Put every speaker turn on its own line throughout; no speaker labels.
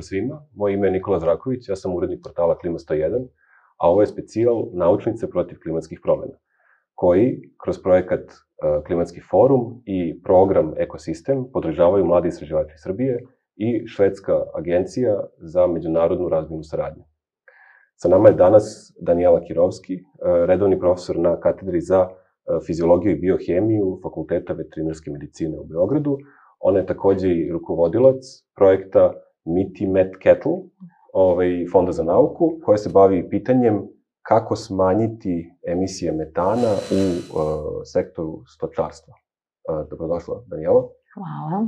pozdrav svima. Moje ime je Nikola Zraković, ja sam urednik portala Klima 101, a ovo je specijal Naučnice protiv klimatskih promjena, koji kroz projekat Klimatski forum i program Ekosistem podržavaju mladi istraživači Srbije i Švedska agencija za međunarodnu razvojnu saradnju. Sa nama je danas Danijela Kirovski, redovni profesor na katedri za fiziologiju i biohemiju Fakulteta veterinarske medicine u Beogradu. Ona je takođe i rukovodilac projekta MITI Met Kettle, Fonda za nauku, koja se bavi pitanjem kako smanjiti emisije metana u sektoru stočarstva. Dobrodošla, Danijela.
Hvala.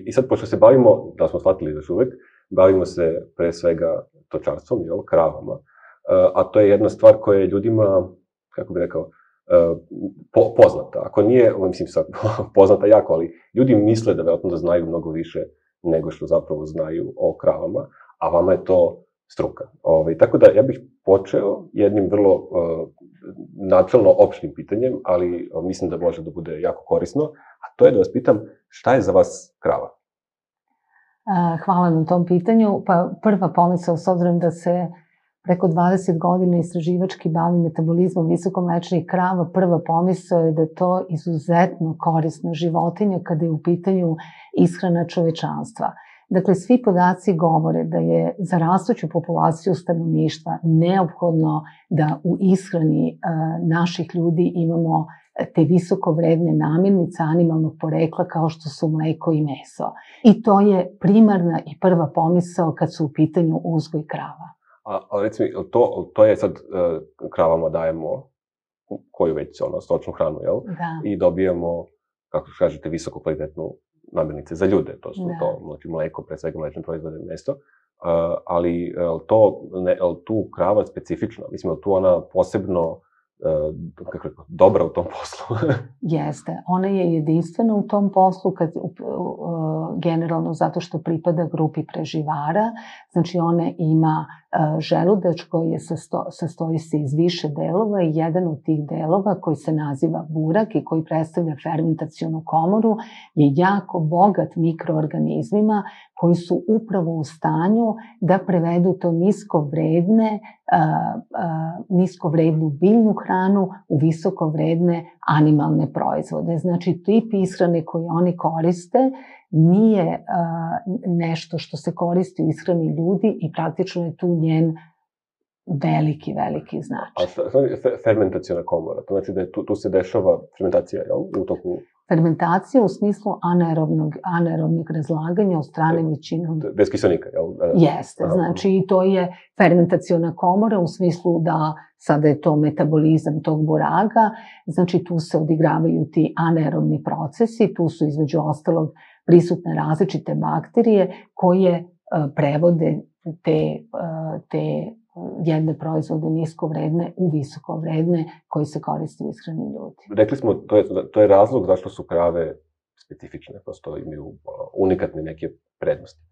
I sad, pošto se bavimo, da smo shvatili još uvek, bavimo se pre svega stočarstvom, kravama, a to je jedna stvar koja je ljudima, kako bih rekao, poznata. Ako nije, mislim sad, poznata jako, ali ljudi misle da verovatno da znaju mnogo više nego što zapravo znaju o kravama, a vama je to struka. Tako da ja bih počeo jednim vrlo načelno opštim pitanjem, ali mislim da može da bude jako korisno, a to je da vas pitam šta je za vas krava?
Hvala na tom pitanju. Pa prva pomisao, s obzirom da se preko 20 godina istraživački bavim metabolizmom visokomlečnih krava, prva pomisao je da je to izuzetno korisna životinja kada je u pitanju ishrana čovečanstva. Dakle, svi podaci govore da je za rastuću populaciju stanovništva neophodno da u ishrani naših ljudi imamo te visoko vredne namirnice animalnog porekla kao što su mleko i meso. I to je primarna i prva pomisao kad su u pitanju uzgoj krava.
A reci mi, to je sad kravama dajemo koju već stočnu hranu, jel?
Da.
I dobijamo, kako kažete, visoko kvalitetnu namirnice za ljude, to su to mleko, pre svega mlečne proizvode, meso, ali tu krava specifična, mislim, je tu ona posebno dobra u tom poslu?
Jeste, ona je jedinstvena u tom poslu, generalno zato što pripada grupi preživara, znači ona ima želudač koji sastoji se iz više delova i jedan od tih delova koji se naziva burak i koji predstavlja fermentacionu komoru je jako bogat mikroorganizmima koji su upravo u stanju da prevedu to niskovrednu biljnu hranu u visokovredne animalne proizvode. Znači, tip ishrane koji oni koriste nije nešto što se koristi u ishrani ljudi i praktično je tu njen veliki značaj.
A fermentaciona komora, to znači da tu se dešava fermentacija, jel? U toku...
Fermentacija u smislu anaerobnog razlaganja od strane većinom...
Bez kiselnika, jel?
Jeste, znači to je fermentaciona komora u smislu da sada je to metabolizam tog buraga, znači tu se odigravaju ti anaerobni procesi, tu su između ostalog prisutne različite bakterije koje prevode te jedne proizvode niskovredne u visokovredne koji se koriste u ishrani ljudi.
Rekli smo, to je razlog zašto su krave specifične, prosto imaju unikatne neke prednosti.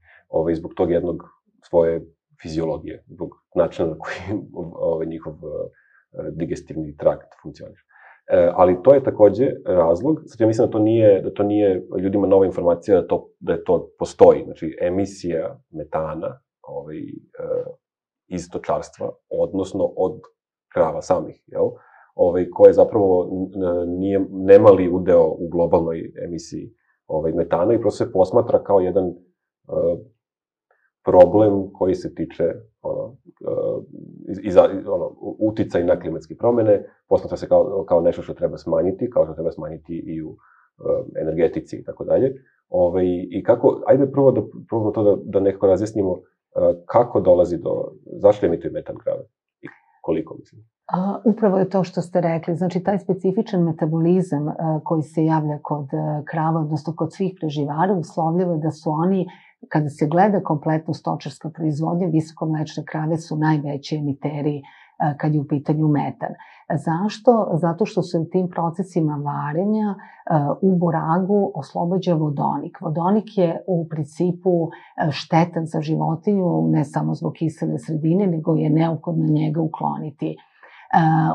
Zbog tog jednog svoje fiziologije, zbog načina na koji njihov digestivni trakt funkcioniše. Ali to je takođe razlog, sad ja mislim da to nije ljudima nova informacija da to postoji, znači emisija metana iz stočarstva, odnosno od krava samih, jel? Koje zapravo nemali udeo u globalnoj emisiji metana i prosto se posmatra kao jedan problem koji se tiče uticaj na klimatske promene, posmatra se kao nešto što treba smanjiti, kao što treba smanjiti i u energetici i tako dalje. I kako, ajde prvo da probamo to da nekako razjasnimo kako dolazi zašto emituju metan krave i koliko, mislim?
Upravo je to što ste rekli, znači taj specifičan metabolizam koji se javlja kod krava, odnosno kod svih preživara, uslovljava da su oni, kada se gleda kompletno stočarska proizvodnja, visokomlečne krave su najveći emiteri kad je u pitanju metan. Zašto? Zato što se u tim procesima varenja u buragu oslobađa vodonik. Vodonik je u principu štetan za životinju, ne samo zbog kisele sredine, nego je neophodno njega ukloniti.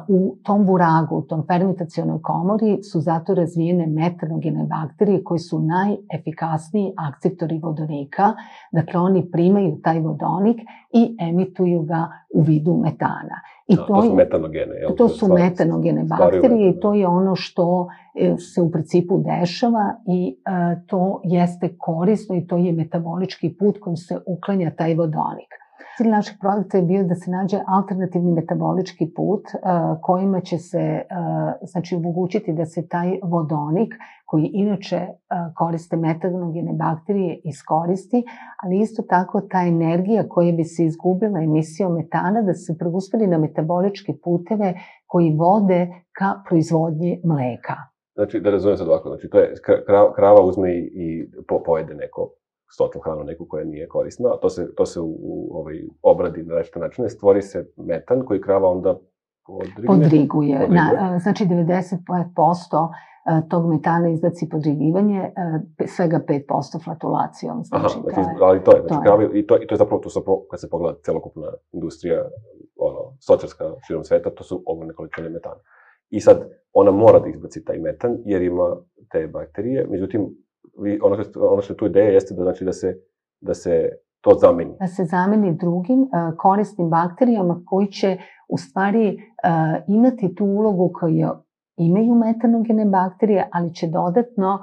U tom buragu, u tom fermentacionoj komori su zato razvijene metanogene bakterije koje su najefikasniji akceptori vodonika. Dakle, oni primaju taj vodonik i emituju ga u vidu metana.
To su metanogene.
To su metanogene bakterije i to je ono što se u principu dešava i to jeste korisno i to je metabolički put kojim se uklanja taj vodonik. Cilj našeg projekta je bio da se nađe alternativni metabolički put kojima će se omogućiti da se taj vodonik koji inače koriste metanogene bakterije iskoristi, ali isto tako ta energija koja bi se izgubila emisijom metana da se preusmeri na metaboličke puteve koji vode ka proizvodnji mleka.
Znači, da razumijem sad ovako, znači to je krava uzme i pojede neko stočnu hranu, neku koja nije korisna, a to se obradi na različite načine, stvori se metan koji krava onda
podriguje. Znači 95% tog metana izbaci podrigivanje, svega 5% flatulacijom.
Ali to je, i to je zapravo, kad se pogleda celokupna industrija, stočarska širom sveta, to su ogromne količine metana. I sad, ona mora da izbaci taj metan, jer ima te bakterije, međutim, ono što je tu ideja jeste da se to zameni.
Da se zameni drugim korisnim bakterijama koji će u stvari imati tu ulogu koju imaju metanogene bakterije, ali će dodatno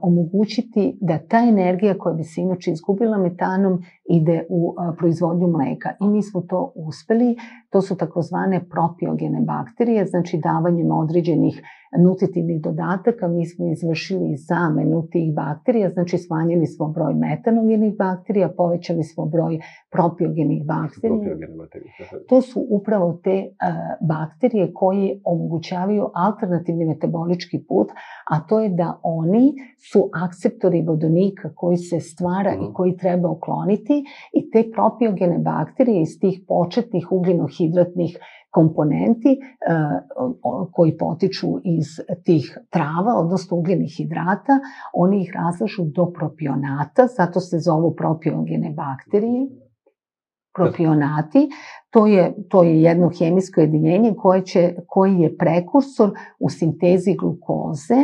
omogućiti da ta energija koja bi se inače izgubila metanom ide u proizvodnju mleka. I mi smo to uspeli. To su takozvane propiogene bakterije, znači davanjem određenih nutritivnih dodataka mi smo izvršili zamenu tih bakterija, znači smanjili smo broj metanogenih bakterija, povećali smo broj propiogenih bakterija. To su upravo te bakterije koje omogućavaju alternativni metabolički put, a to je da oni su akceptori vodonika koji se stvara i koji treba ukloniti i te propiogene bakterije iz tih početnih ugljenohidratnih komponenti koji potiču iz tih trava, odnosno ugljenih hidrata, oni ih razlažu do propionata, zato se zovu propiogene bakterije. Propionati, to je jedno hemijsko jedinjenje koje je prekursor u sintezi glukoze,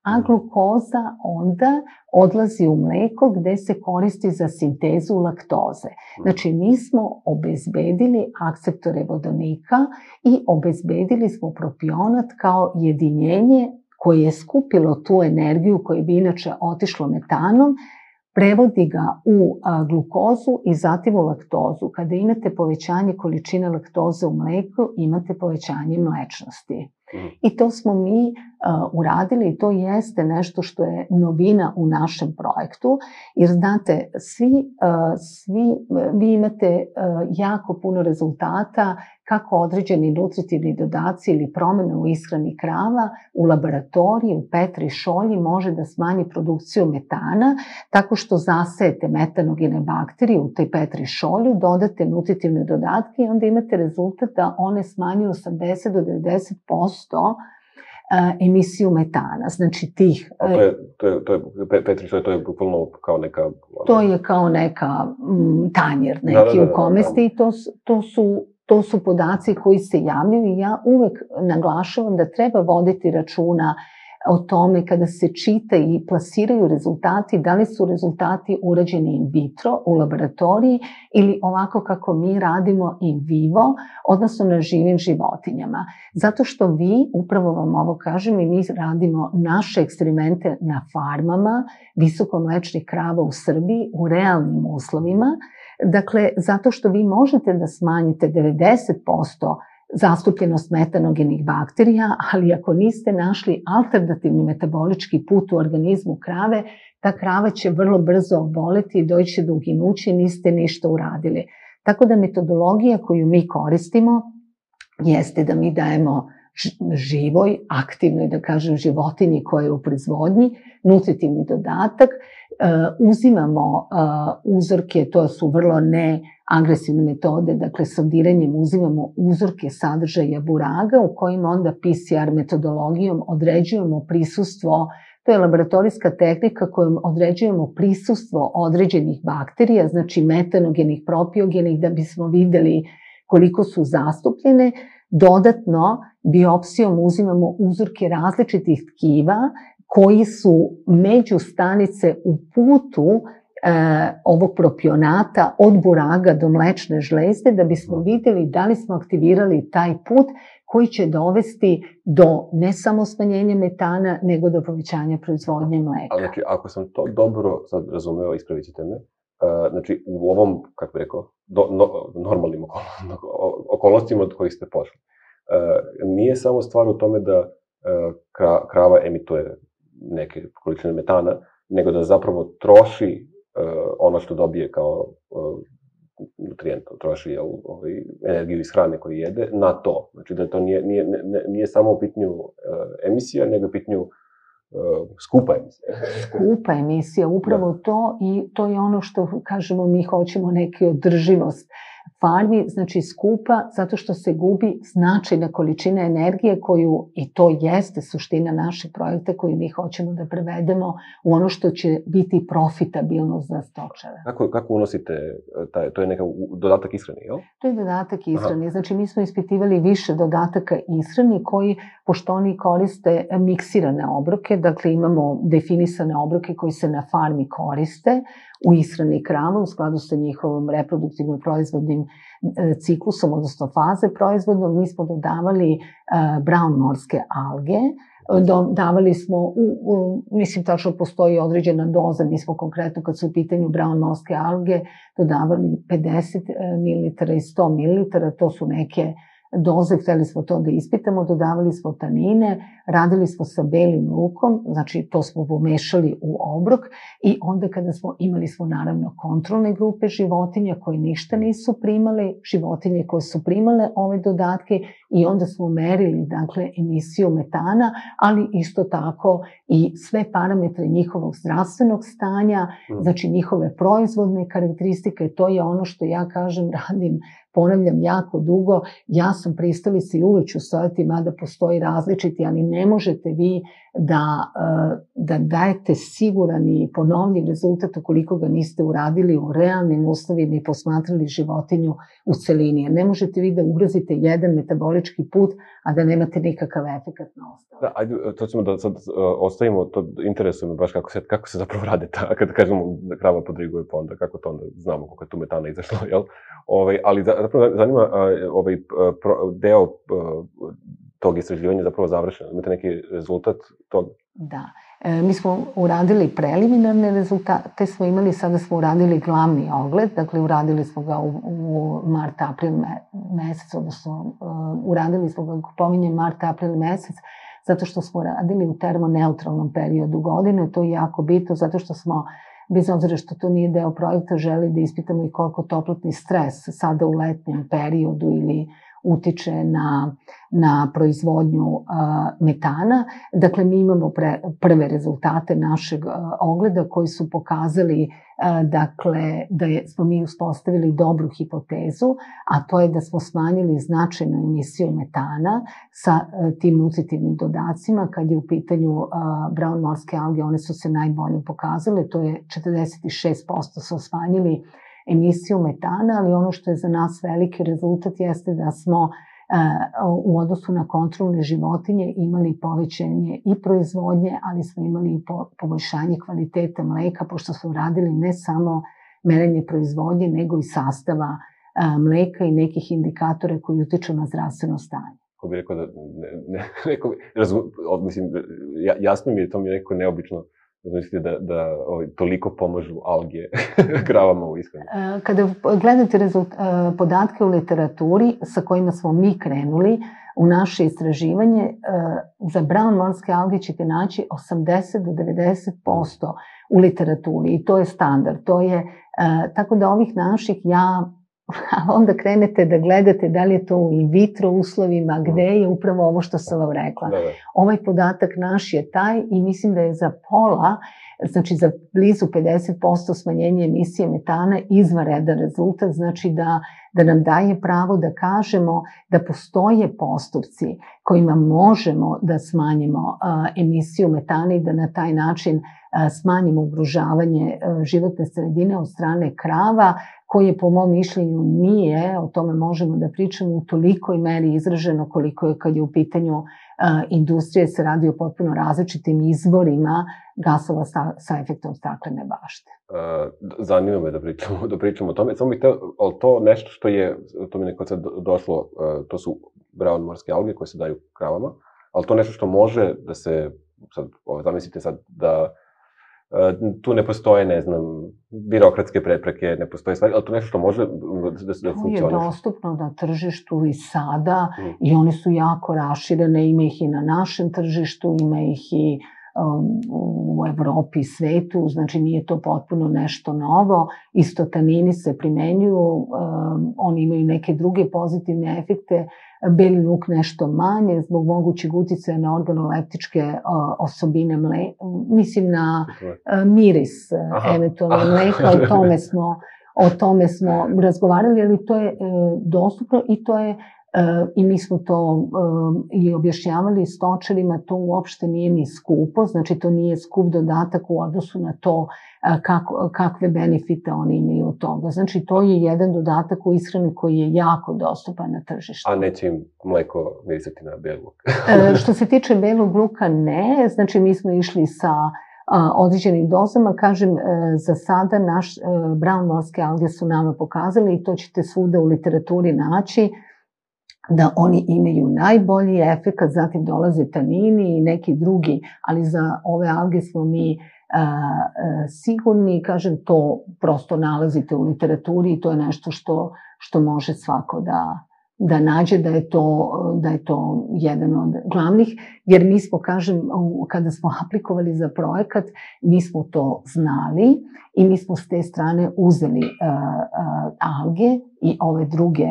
a glukoza onda odlazi u mleko gde se koristi za sintezu laktoze. Znači, mi smo obezbedili akceptore vodonika i obezbedili smo propionat kao jedinjenje koje je skupilo tu energiju koja bi inače otišlo metanom, prevodi ga u glukozu i zatim u laktozu. Kada imate povećanje količine laktoze u mleku, imate povećanje mlečnosti. I to smo mi uradili i to jeste nešto što je novina u našem projektu, jer znate, vi imate jako puno rezultata kako određeni nutritivni dodaci ili promjene u ishrani krava u laboratoriji, u Petri šolji može da smanji produkciju metana tako što zasejete metanogene bakterije u tej Petri šolju, dodate nutritivne dodatke i onda imate rezultat da one smanjuju 80 do 90% emisiju metana. Znači tih...
Petri šolja, to je bukvalno kao neka...
To je kao neka tanjer neki u kome ste i to su podaci koji se javljaju i ja uvek naglašavam da treba voditi računa o tome kada se čita i plasiraju rezultati, da li su rezultati urađeni in vitro u laboratoriji ili ovako kako mi radimo in vivo, odnosno na živim životinjama. Zato što vi, upravo vam ovo kažem, i mi radimo naše eksperimente na farmama visokomlečnih krava u Srbiji u realnim uslovima. Dakle, zato što vi možete da smanjite 90% zastupljenost metanogenih bakterija, ali ako niste našli alternativni metabolički put u organizmu krave, ta krava će vrlo brzo oboleti i doći do uginuća i niste ništa uradili. Tako da metodologija koju mi koristimo jeste da mi dajemo živoj, aktivnoj, da kažem, životinji koja je u proizvodnji, nutritivni dodatak, uzimamo uzorke, to su vrlo neagresivne metode, dakle sondiranjem uzimamo uzorke sadržaja buraga u kojima onda PCR metodologijom određujemo prisustvo, to je laboratorijska tehnika kojom određujemo prisustvo određenih bakterija, znači metanogenih, propiogenih, da bismo videli koliko su zastupljene. Dodatno, biopsijom uzimamo uzorke različitih tkiva koji su međustanice u putu ovog propionata od buraga do mlečne žlezde, da bismo vidjeli da li smo aktivirali taj put koji će dovesti do ne samo smanjenja metana, nego do povećanja proizvodnje mleka.
Ali znači, ako sam to dobro sad razumeo, ispravit ćete me, znači u ovom, kako bih rekao, normalnim okolnostima od kojih ste pošli, nije samo stvar u tome da krava emituje neke količine metana, nego da zapravo troši ono što dobije kao nutrijent, troši energiju iz hrane koju jede na to. Znači da to nije samo u pitanju emisija, nego u pitanju skupa emisija.
Skupa emisija, upravo to, i to je ono što kažemo, mi hoćemo neki održivost farmi, znači skupa, zato što se gubi značajna količina energije koju, i to jeste suština našeg projekta koji mi hoćemo da prevedemo u ono što će biti profitabilno za stočare.
Kako unosite, to je neka dodatak ishrani, jel?
To je dodatak ishrani, znači mi smo ispitivali više dodataka ishrani koji, pošto oni koriste miksirane obroke, dakle imamo definisane obroke koji se na farmi koriste u ishrani krava u skladu sa njihovom reproduktivnom proizvodnim ciklusom, odnosno faze proizvodnom. Mi smo dodavali brown morske alge, dodavali smo, mislim tačno postoji određena doza, mi smo konkretno kad su u pitanju brown morske alge dodavali 50 ml i 100 ml, to su neke doze, hteli smo to da ispitamo, dodavali smo tanine, radili smo sa belim lukom, znači to smo pomešali u obrok, i onda kada imali smo naravno kontrolne grupe životinja koje ništa nisu primale, životinje koje su primale ove dodatke, i onda smo merili dakle emisiju metana, ali isto tako i sve parametre njihovog zdravstvenog stanja, znači njihove proizvodne karakteristike. To je ono što ja kažem, radim, ponavljam jako dugo, ja sam pristalica i uvek ću stojati, mada postoji različiti, ali ne možete vi da dajete siguran i ponovljiv rezultat ukoliko ga niste uradili u realnim uslovima i posmatrali životinju u celini. Jer ne možete vi da ugrozite jedan metabolički put, a da nemate nikakav efekat na ostalo.
Da, ajde, to ćemo da sad ostavimo, to interesuje me baš kako se zapravo rade kada kažemo da krava podriguje, pa onda kako to onda znamo koliko je tu metana izašlo, jel? Ali zapravo zanima deo tog istraživanja zapravo završeno. Imate neki rezultat toga?
Da. Mi smo uradili preliminarne rezultate, sada smo uradili glavni ogled, dakle uradili smo ga u mart-april mesec, odnosno uradili smo ga, pominjem mart-april mesec, zato što smo radili u termoneutralnom periodu godine. To je jako bitno, zato što smo, bez obzira što to nije deo projekta, želi da ispitamo i koliko toplotni stres sada u letnjem periodu ili utiče na proizvodnju metana. Dakle, mi imamo prve rezultate našeg ogleda koji su pokazali dakle, da smo mi uspostavili dobru hipotezu, a to je da smo smanjili značajnu emisiju metana sa tim nutritivnim dodacima. Kad je u pitanju brown morske alge, one su se najbolje pokazale, to je 46% smo smanjili emisiju metana, ali ono što je za nas veliki rezultat jeste da smo u odnosu na kontrolne životinje imali povećanje i proizvodnje, ali smo imali i poboljšanje kvaliteta mleka, pošto smo radili ne samo merenje proizvodnje, nego i sastava mleka i nekih indikatora koji utiču na zdravstveno stanje.
Ko bi rekao da, mislim, jasno mi je, to mi je nekako neobično, mislite da toliko pomažu alge kravama u ishrani?
Kada gledate podatke u literaturi sa kojima smo mi krenuli u naše istraživanje, za brown morske alge ćete naći 80 do 90% u literaturi, i to je standard. Tako da ovih naših, onda krenete da gledate da li je to u in vitro uslovima, gde je upravo ovo što sam vam rekla. Ovaj podatak naš je taj, i mislim da je za pola, znači za blizu 50% smanjenje emisije metana izvanredan rezultat, znači da da nam daje pravo da kažemo da postoje postupci kojima možemo da smanjimo emisiju metana i da na taj način smanjimo ugrožavanje životne sredine od strane krava, koje po mom mišljenju nije, o tome možemo da pričamo, u tolikoj meri izraženo koliko je kad je u pitanju industrije, se radi o potpuno različitim izvorima gasova sa efektom staklene bašte.
Zanima me da pričamo o tome. Samo bih teo, ali to nešto što je, to mi neko sad došlo, to su brown morske alge koje se daju kravama, ali to nešto što može da se, sad, zamislite sad da tu ne postoje, ne znam, birokratske prepreke, ne postoje stvari, ali to nešto što može da funkcioniše.
To je dostupno na tržištu i sada i one su jako raširene, ima ih i na našem tržištu, ima ih i u Evropi i svetu, znači nije to potpuno nešto novo. Istotanini se primenjuju, oni imaju neke druge pozitivne efekte, beli luk nešto manje, zbog mogućeg uticaja na organoleptičke osobine mleka, mislim na miris eventualno mleka, o tome smo razgovarali, ali to je dostupno i to je i mi smo to i objašnjavali stočarima, to uopšte nije ni skupo, znači to nije skup dodatak u odnosu na to kakve benefite oni imaju od toga. Znači to je jedan dodatak u ishrani koji je jako dostupan na tržištu.
A neće im mleko mirisati na beli luk?
Što se tiče belog luka, ne. Znači mi smo išli sa određenim dozama. Kažem, za sada naš brown morske alge su nama pokazali i to ćete svuda u literaturi naći, da oni imaju najbolji efekat, zatim dolaze tanini i neki drugi, ali za ove alge smo mi sigurni, kažem, to prosto nalazite u literaturi i to je nešto što može svako da nađe, da je to jedan od glavnih, jer mi smo, kažem, kada smo aplikovali za projekat, mi smo to znali i mi smo s te strane uzeli alge i ove druge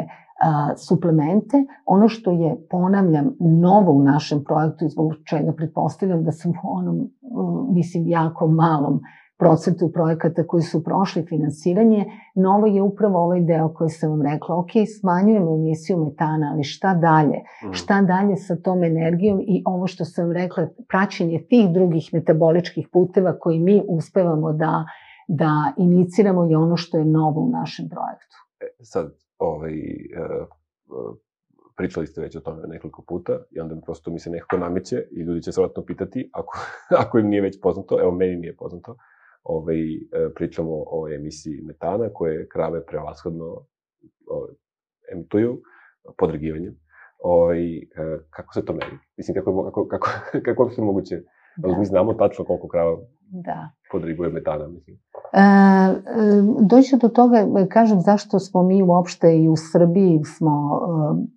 suplemente. Ono što je, ponavljam, novo u našem projektu i zbog čega pretpostavljam da sam u onom, mislim, jako malom procentu projekata koji su prošli finansiranje, novo je upravo ovaj deo koji sam vam rekla, ok, smanjujemo emisiju metana, ali šta dalje? Šta dalje sa tom energijom i ovo što sam rekla, praćenje tih drugih metaboličkih puteva koji mi uspevamo da iniciramo je ono što je novo u našem projektu.
Sad, pričali ste već o tome nekoliko puta i onda prosto mi se nekako nameće i ljudi će se vratno pitati, ako im nije već poznato, evo meni nije poznato, pričamo o emisiji metana koje krave prevashodno emituju podregivanjem. Kako se to meri? Mislim, kako je moguće? Mi znamo tačno koliko krava podriguje metana, mislim.
Doći do toga, kažem, zašto smo mi uopšte i u Srbiji smo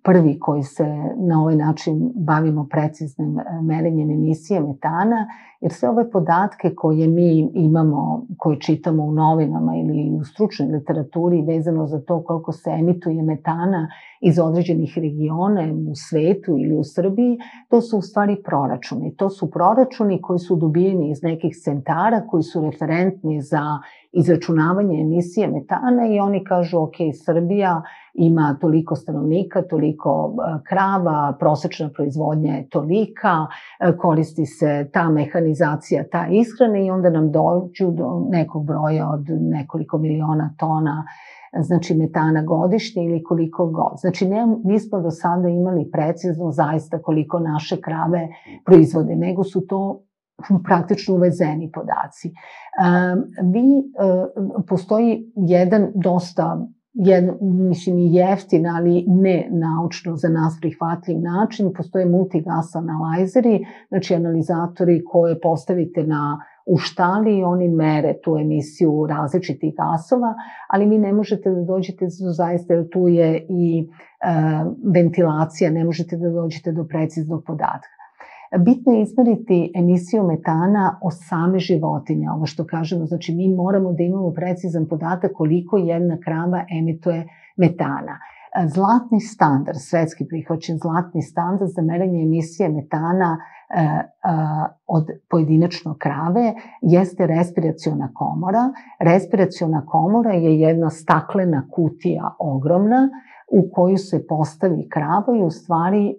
prvi koji se na ovaj način bavimo preciznim merenjem emisije metana, jer sve ove podatke koje mi imamo, koje čitamo u novinama ili u stručnoj literaturi vezano za to koliko se emituje metana iz određenih regiona u svetu ili u Srbiji, to su u stvari proračuni. To su proračuni koji su dobijeni iz nekih centara koji su referentni za izračunavanje emisije metana i oni kažu, ok, Srbija ima toliko stanovnika, toliko krava, prosečna proizvodnja je tolika, koristi se ta mehanizacija, ta ishrana i onda nam dođu do nekog broja od nekoliko miliona tona, znači metana godišnje ili koliko god. Znači nismo do sada imali precizno zaista koliko naše krave proizvode, nego su to praktično uvezeni podaci. Postoji jedan dosta, mislim i jeftin, ali ne naučno za nas prihvatljiv način, postoje multigas analajzeri, znači analizatori koje postavite u štali i oni mere tu emisiju različitih gasova, ali vi ne možete da dođete zaista, jer tu je i ventilacija, ne možete da dođete do preciznog podatka. Bitno je izmeriti emisiju metana od same životinje, ovo što kažemo, znači mi moramo da imamo precizan podatak koliko jedna krava emituje metana. zlatni standard, svetski prihvaćen zlatni standard za merenje emisije metana od pojedinačno krave jeste respiraciona komora. Respiraciona komora je jedna staklena kutija ogromna u koju se postavi krava i u stvari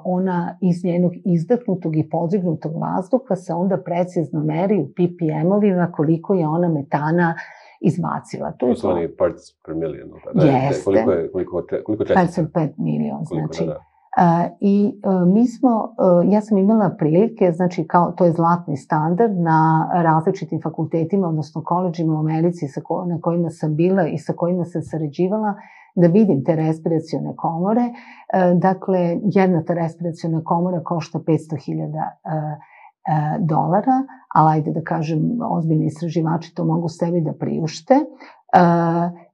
ona iz njenog izdahnutog i podrignutog vazduha se onda precizno meri u ppm-ovima koliko je ona metana izbacila.
To su oni parts per million.
Jeste.
Koliko čestica?
5 milion, znači. I mi smo, ja sam imala prilike, znači to je zlatni standard na različitim fakultetima, odnosno koledžima u Americi na kojima sam bila i sa kojima sam sarađivala, da vidim te respiracione komore. Dakle, jedna ta respiraciona komora košta $500.000, ali ajde da kažem, ozbiljni istraživači to mogu sebi da priušte.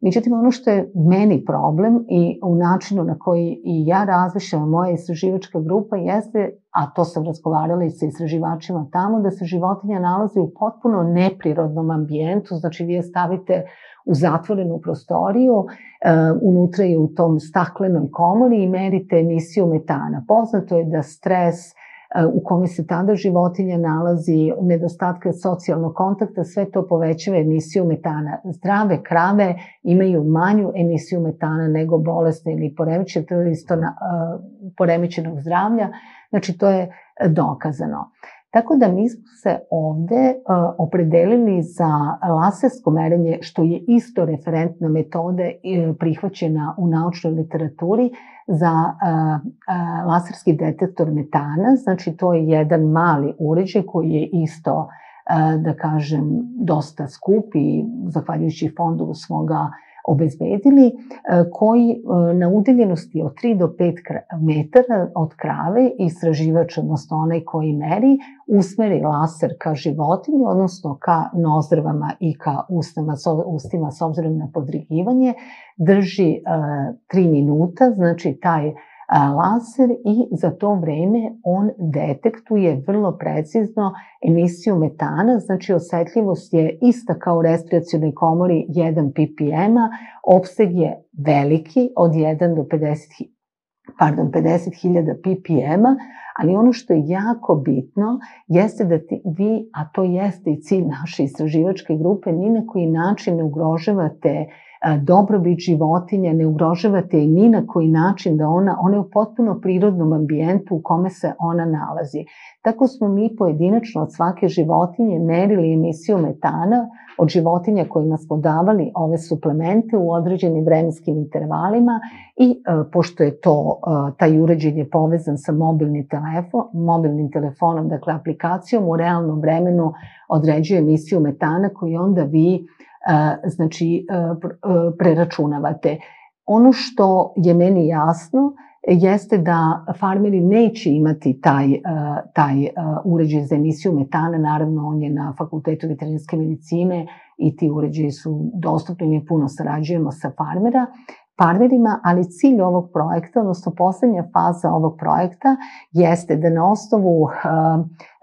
Međutim, ono što je meni problem i u načinu na koji i ja razmišljam, moja istraživačka grupa jeste, a to sam razgovarala i sa istraživačima tamo, da se životinja nalazi u potpuno neprirodnom ambijentu, znači vi je stavite u zatvorenu prostoriju, unutra je u tom staklenoj komori i merite emisiju metana. Poznato je da stres u kome se tada životinja nalazi, nedostatka socijalnog kontakta, sve to povećava emisiju metana. Zdrave krave imaju manju emisiju metana nego bolesne ili poremećenog zdravlja, znači to je dokazano. Tako da mi smo se ovde opredelili za lasersko merenje, što je isto referentna metoda prihvaćena u naučnoj literaturi za laserski detektor metana. Znači to je jedan mali uređaj koji je isto, da kažem, dosta skup i zahvaljujući fondu smo ga obezbedili, koji na udaljenosti od 3 do 5 metara od krave istraživač, odnosno onaj koji meri, usmeri laser ka životinji, odnosno ka nozdrvama i ka ustima s obzirom na podrigivanje, drži 3 minuta, znači taj laser, i za to vreme on detektuje vrlo precizno emisiju metana, znači osetljivost je ista kao u respiracionoj komori 1 ppm-a, opseg je veliki od 1 do 50.000 ppm-a, ali ono što je jako bitno jeste da vi, a to jeste i cilj naše istraživačke grupe, ni na koji način ne ugrožavate dobrobit životinja, ne ugrožavate i ni na koji način da ona je u potpuno prirodnom ambijentu u kome se ona nalazi. Tako smo mi pojedinačno od svake životinje merili emisiju metana od životinja kojima smo davali ove suplemente u određenim vremenskim intervalima i pošto je taj uređaj je povezan sa mobilnim telefonom, dakle aplikacijom, u realnom vremenu određuje emisiju metana koju onda vi znači preračunavate. Ono što je meni jasno jeste da farmeri neće imati taj uređaj za emisiju metana, naravno on je na Fakultetu veterinarske medicine i ti uređaji su dostupni, mi puno sarađujemo sa farmerima, ali cilj ovog projekta, odnosno poslednja faza ovog projekta jeste da na osnovu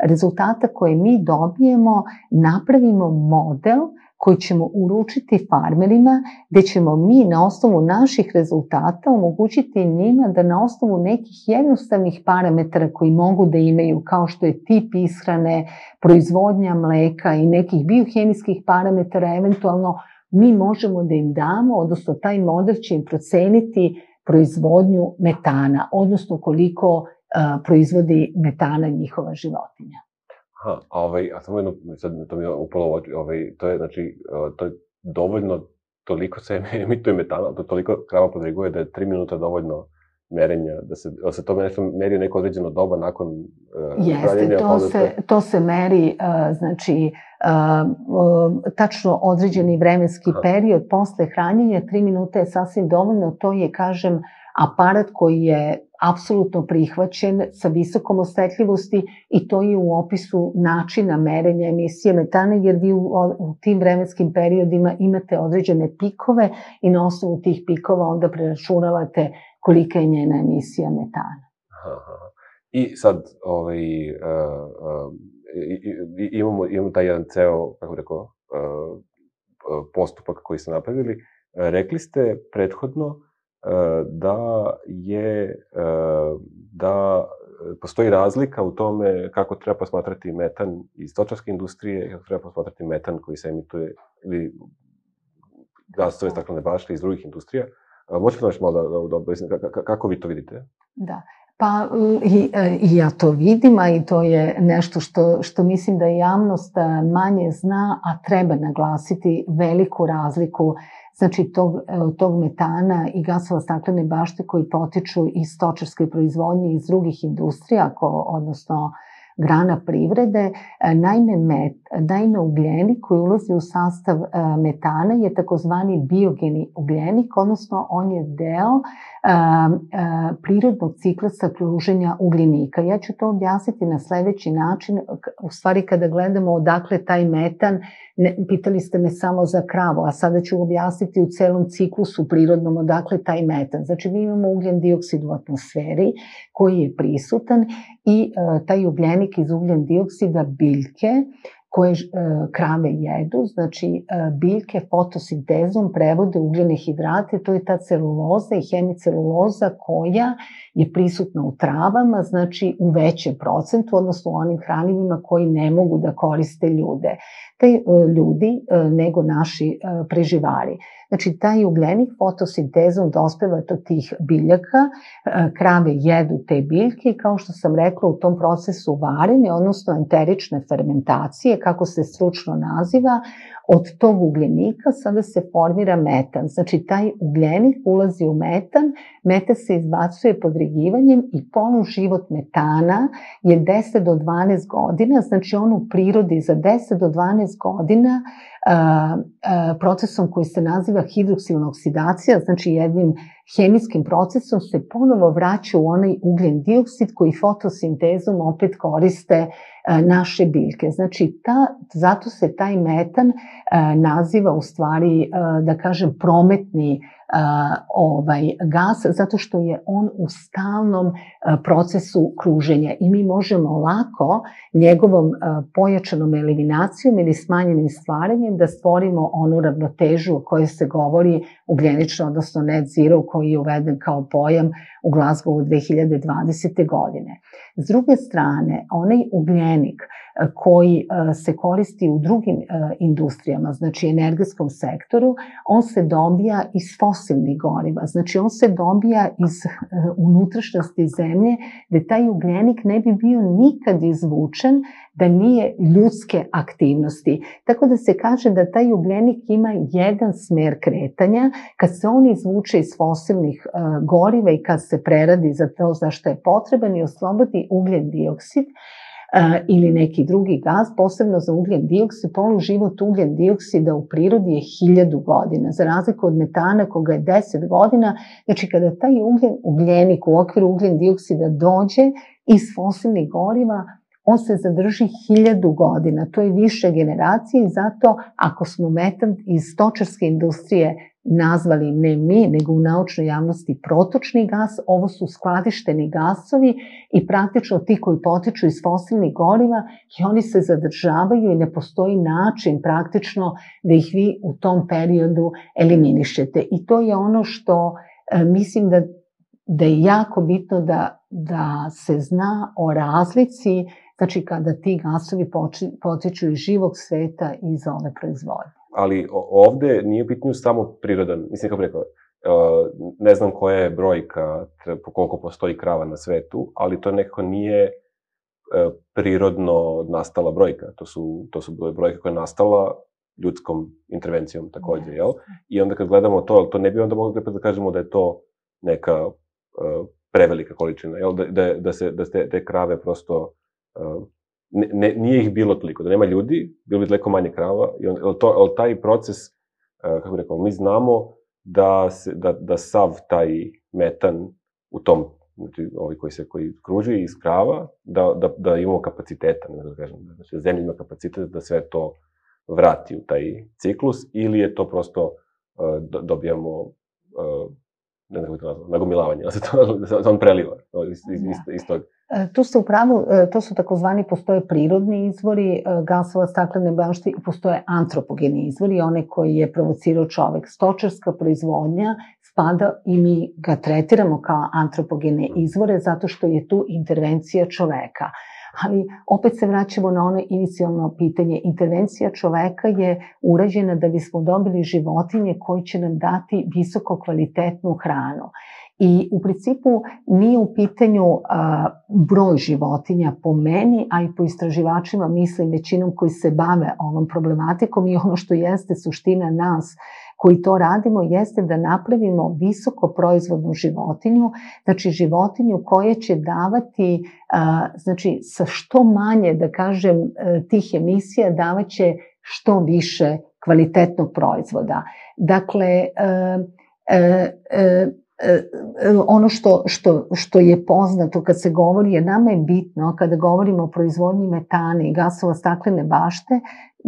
rezultata koje mi dobijemo napravimo model koji ćemo uručiti farmerima, gde ćemo mi na osnovu naših rezultata omogućiti njima da na osnovu nekih jednostavnih parametara koji mogu da imaju, kao što je tip ishrane, proizvodnja mleka i nekih biohemijskih parametara, eventualno mi možemo da im damo, odnosno taj model će im proceniti proizvodnju metana, odnosno koliko proizvodi metana njihova životinja.
A samo jedno, sad to mi je upalo u oči, to je, znači, to je dovoljno, toliko se emituje metana, to toliko krava podriguje da je 3 minuta dovoljno merenja, da se to meri neko određeno doba nakon hranjenja?
Jeste, to se meri, znači, tačno određeni vremenski period posle hranjenja, 3 minuta je sasvim dovoljno, to je, kažem, aparat koji je apsolutno prihvaćen sa visokom osetljivosti i to je u opisu načina merenja emisije metana, jer vi u tim vremenskim periodima imate određene pikove i na osnovu tih pikova onda preračunavate kolika je njena emisija metana.
I sad, imamo taj jedan ceo, kako rekao, postupak koji ste napravili. Rekli ste prethodno da postoji razlika u tome kako treba posmatrati metan iz stočarske industrije i kako treba posmatrati metan koji se emituje ili gasove staklene bašte iz drugih industrija. Možete li malo da objasnite kako vi to vidite?
Da. Pa i ja to vidim, a i to je nešto što mislim da javnost manje zna, a treba naglasiti veliku razliku, znači tog metana i gasova staklene bašte koji potiču iz stočarske proizvodnje i iz drugih industrija, odnosno grana privrede. Naime, ugljenik koji ulazi u sastav metana je takozvani biogeni ugljenik, odnosno on je deo prirodnog ciklusa kruženja ugljenika. Ja ću to objasniti na sledeći način. U stvari, kada gledamo odakle taj metan, pitali ste me samo za kravu, a sada ću objasniti u celom ciklusu prirodnom odakle taj metan. Znači, mi imamo ugljen dioksid u atmosferi koji je prisutan i taj ugljenik iz ugljen dioksida biljke koje krave jedu, znači biljke fotosintezom prevode ugljene hidrate, to je ta celuloza i hemiceluloza koja je prisutna u travama, znači u većem procentu, odnosno u onim hranivima koji ne mogu da koriste ljudi nego naši preživari. Znači, taj ugljenik fotosintezom dospeva do tih biljaka, krave jedu te biljke i kao što sam rekla u tom procesu varenja, odnosno enterične fermentacije, kako se stručno naziva, od tog ugljenika sada se formira metan. Znači, taj ugljenik ulazi u metan, metan se izbacuje podregivanjem i poluživot metana je 10 do 12 godina, znači on u prirodi za 10 do 12 godina procesom koji se naziva hidroksilna oksidacija, znači jednim hemijskim procesom se ponovo vraća u onaj ugljen dioksid koji fotosintezom opet koriste naše biljke. Znači, zato se taj metan naziva u stvari, da kažem, prometni gas, zato što je on u stalnom procesu kruženja i mi možemo lako njegovom pojačanom eliminacijom ili smanjenim stvaranjem da stvorimo onu ravnotežu o kojoj se govori ugljenično, odnosno net zero, koji je uveden kao pojam u Glasgowu 2020. godine. S druge strane, onaj ugljenik koji se koristi u drugim industrijama, znači energetskom sektoru, on se dobija iz fosilnih goriva, znači on se dobija iz unutrašnjosti zemlje, gde taj ugljenik ne bi bio nikad izvučen da nije ljudske aktivnosti. Tako da se kaže da taj ugljenik ima jedan smer kretanja, kad se on izvuče iz fosilnih goriva i kad se preradi za to za što je potreban i oslobodi ugljen dioksid, ili neki drugi gas, posebno za ugljen dioksid, poluživot ugljen dioksida u prirodi je 1000 godina, za razliku od metana koga je 10 godina. Znači, kada taj ugljenik u okviru ugljen dioksida dođe iz fosilnih goriva, on se zadrži 1000 godina. To je više generacije i zato ako smo metan iz stočarske industrije nazvali ne mi, nego u naučnoj javnosti protočni gas, ovo su skladišteni gasovi i praktično ti koji potiču iz fosilnih goriva i oni se zadržavaju i ne postoji način praktično da ih vi u tom periodu eliminišete. I to je ono što mislim da je jako bitno da se zna o razlici, znači kada ti gasovi potiču iz živog sveta i iz ove proizvodnje.
Ali ovde nije pitanje samo prirodan, mislim kako bi rekao, ne znam koja je brojka, koliko postoji krava na svetu, ali to nekako nije prirodno nastala brojka. To su bile brojke koja je nastala ljudskom intervencijom takođe, jel? I onda kad gledamo to ne bi onda mogli da kažemo da je to neka prevelika količina, jel? Da te krave prosto nije ih bilo toliko, da nema ljudi, bilo bi daleko manje krava, ali taj proces, kako bih rekao, mi znamo da sav taj metan u tom, znači ovi koji kruži iz krava, da imamo kapaciteta, ne da kažem, znači zemlja ima kapacitet da sve to vrati u taj ciklus, ili je to prosto dobijamo, ne znam kako to nazvam, nagomilavanje, da se on preliva iz tog.
Tu ste u pravu, to su takozvani, postoje prirodni izvori gasova staklene bašte i postoje antropogeni izvori, one koji je provocirao čovek. Stočarska proizvodnja spada i mi ga tretiramo kao antropogene izvore zato što je tu intervencija čoveka. Ali opet se vraćamo na ono inicijalno pitanje. Intervencija čoveka je urađena da bismo dobili životinje koji će nam dati visoko kvalitetnu hranu. I u principu nije u pitanju broj životinja po meni, a i po istraživačima, mislim većinom koji se bave ovom problematikom, i ono što jeste suština nas koji to radimo jeste da napravimo visoko proizvodnu životinju, znači životinju koja će davati, znači sa što manje, da kažem, tih emisija davaće što više kvalitetnog proizvoda. Dakle, ono što je poznato kad se govori, jer nama je bitno kada govorimo o proizvodnji metana i gasova staklene bašte,